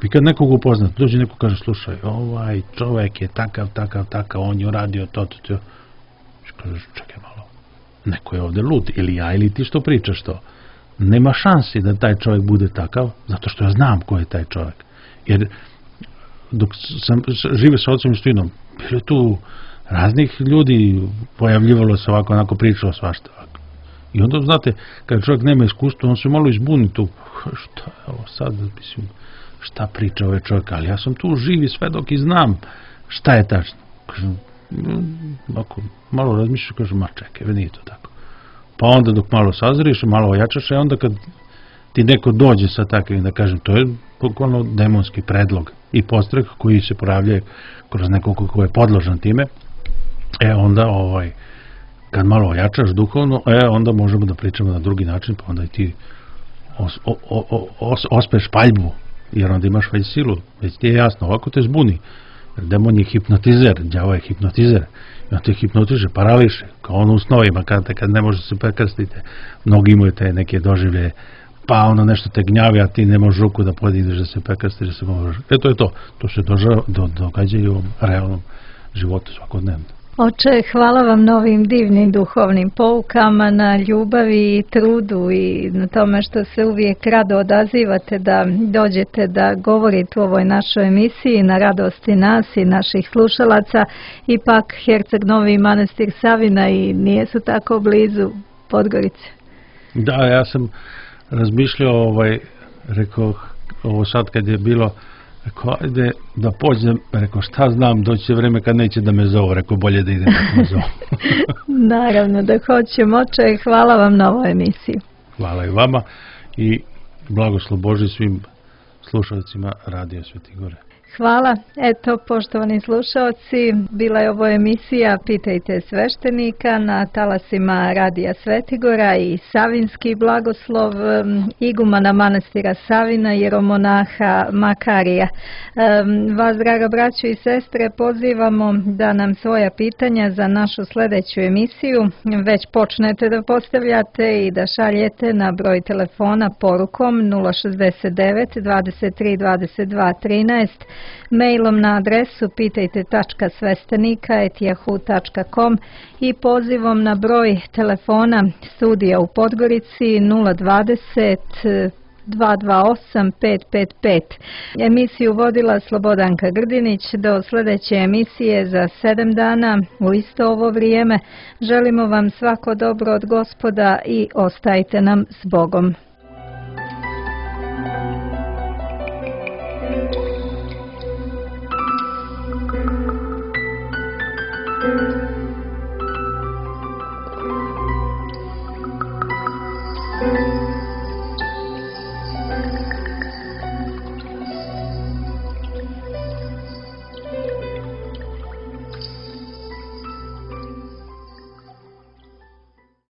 Speaker 4: Vi kad nekog upoznate, dođe neko kaže, slušaj, ovaj čovjek je takav, takav, takav, on je uradio to, to, to. Kažeš, čekaj malo, neko je ovdje lud, ili ja, ili ti što pričaš to. Nema šansi da taj čovjek bude takav, zato što ja znam ko je taj čovjek. Jer dok sam živio sa ocem i strinom, bilo tu raznih ljudi, pojavljivalo se ovako, onako pričalo svašta. I onda, znate, kad čovjek nema iskustva, on se malo izbuni tu. Šta je ovo sad, mislim, šta priča ovaj čovjek, ali ja sam tu živi svedok i znam šta je tačno. Kažem, ako malo razmišljaš, kažem, ma čekaj, nije to tako. Pa onda dok malo sazriš, malo ojačaš, i onda kad ti neko dođe sa takvim, da kažem, to je bukvalno demonski predlog i postrek koji se pojavljuje kroz nekog ko je podložan time, e onda ovaj, kad malo ojačaš duhovno, e onda možemo da pričamo na drugi način, pa onda i ti os, o, o, os, ospeš paljbu, jer onda imaš već silu, već ti je jasno, ovako te zbuni, jer demon je hipnotizer, đavo je hipnotizer, i on te hipnotiže, parališe, kao ono u snovima, kad, kad ne možete se prekrstite, mnogi imaju te neke doživlje, pa ono nešto te gnjavi, a ti ne možeš ruku da podigneš da se prekrstiš, da se možeš. E to je to, to se doža, do, događa i u ovom realnom životu svakodnevno.
Speaker 3: Oče, hvala vam na ovim divnim duhovnim poukama, na ljubavi i trudu i na tome što se uvijek rado odazivate da dođete da govorite u ovoj našoj emisiji na radosti nas i naših slušalaca. Ipak Herceg Novi manastir Savina i nije su tako blizu Podgorice.
Speaker 4: Da, ja sam razmišljao, ovaj, rekao, ovo sad kad je bilo, rekao, ajde da pođem, rekao, šta znam, doći će vreme kad neće da me zovu, rekao, bolje da idem kad me zovu.
Speaker 3: Naravno da hoćemo, oče, hvala vam na ovoj emisiji.
Speaker 4: Hvala i vama i blagoslov Božji svim slušalcima Radio Sveti Gore.
Speaker 3: Hvala. Eto, poštovani slušalci, bila je ovo emisija Pitajte sveštenika na talasima Radija Svetigora i Savinski blagoslov igumana manastira Savina, jeromonaha Makarija. Vas, draga braćo i sestre, pozivamo da nam svoja pitanja za našu sljedeću emisiju već počnete da postavljate i da šaljete na broj telefona porukom nula šezdeset devet dvadeset tri dvadeset dva trinaest, mailom na adresu pitajte tačka sveštenika at yahoo tačka com i pozivom na broj telefona studija u Podgorici nula dvadeset dva dva osam pet pet pet. Emisiju vodila Slobodanka Grdinić. Do sljedeće emisije za sedam dana u isto ovo vrijeme. Želimo vam svako dobro od Gospoda i ostajte nam s Bogom. Thank you.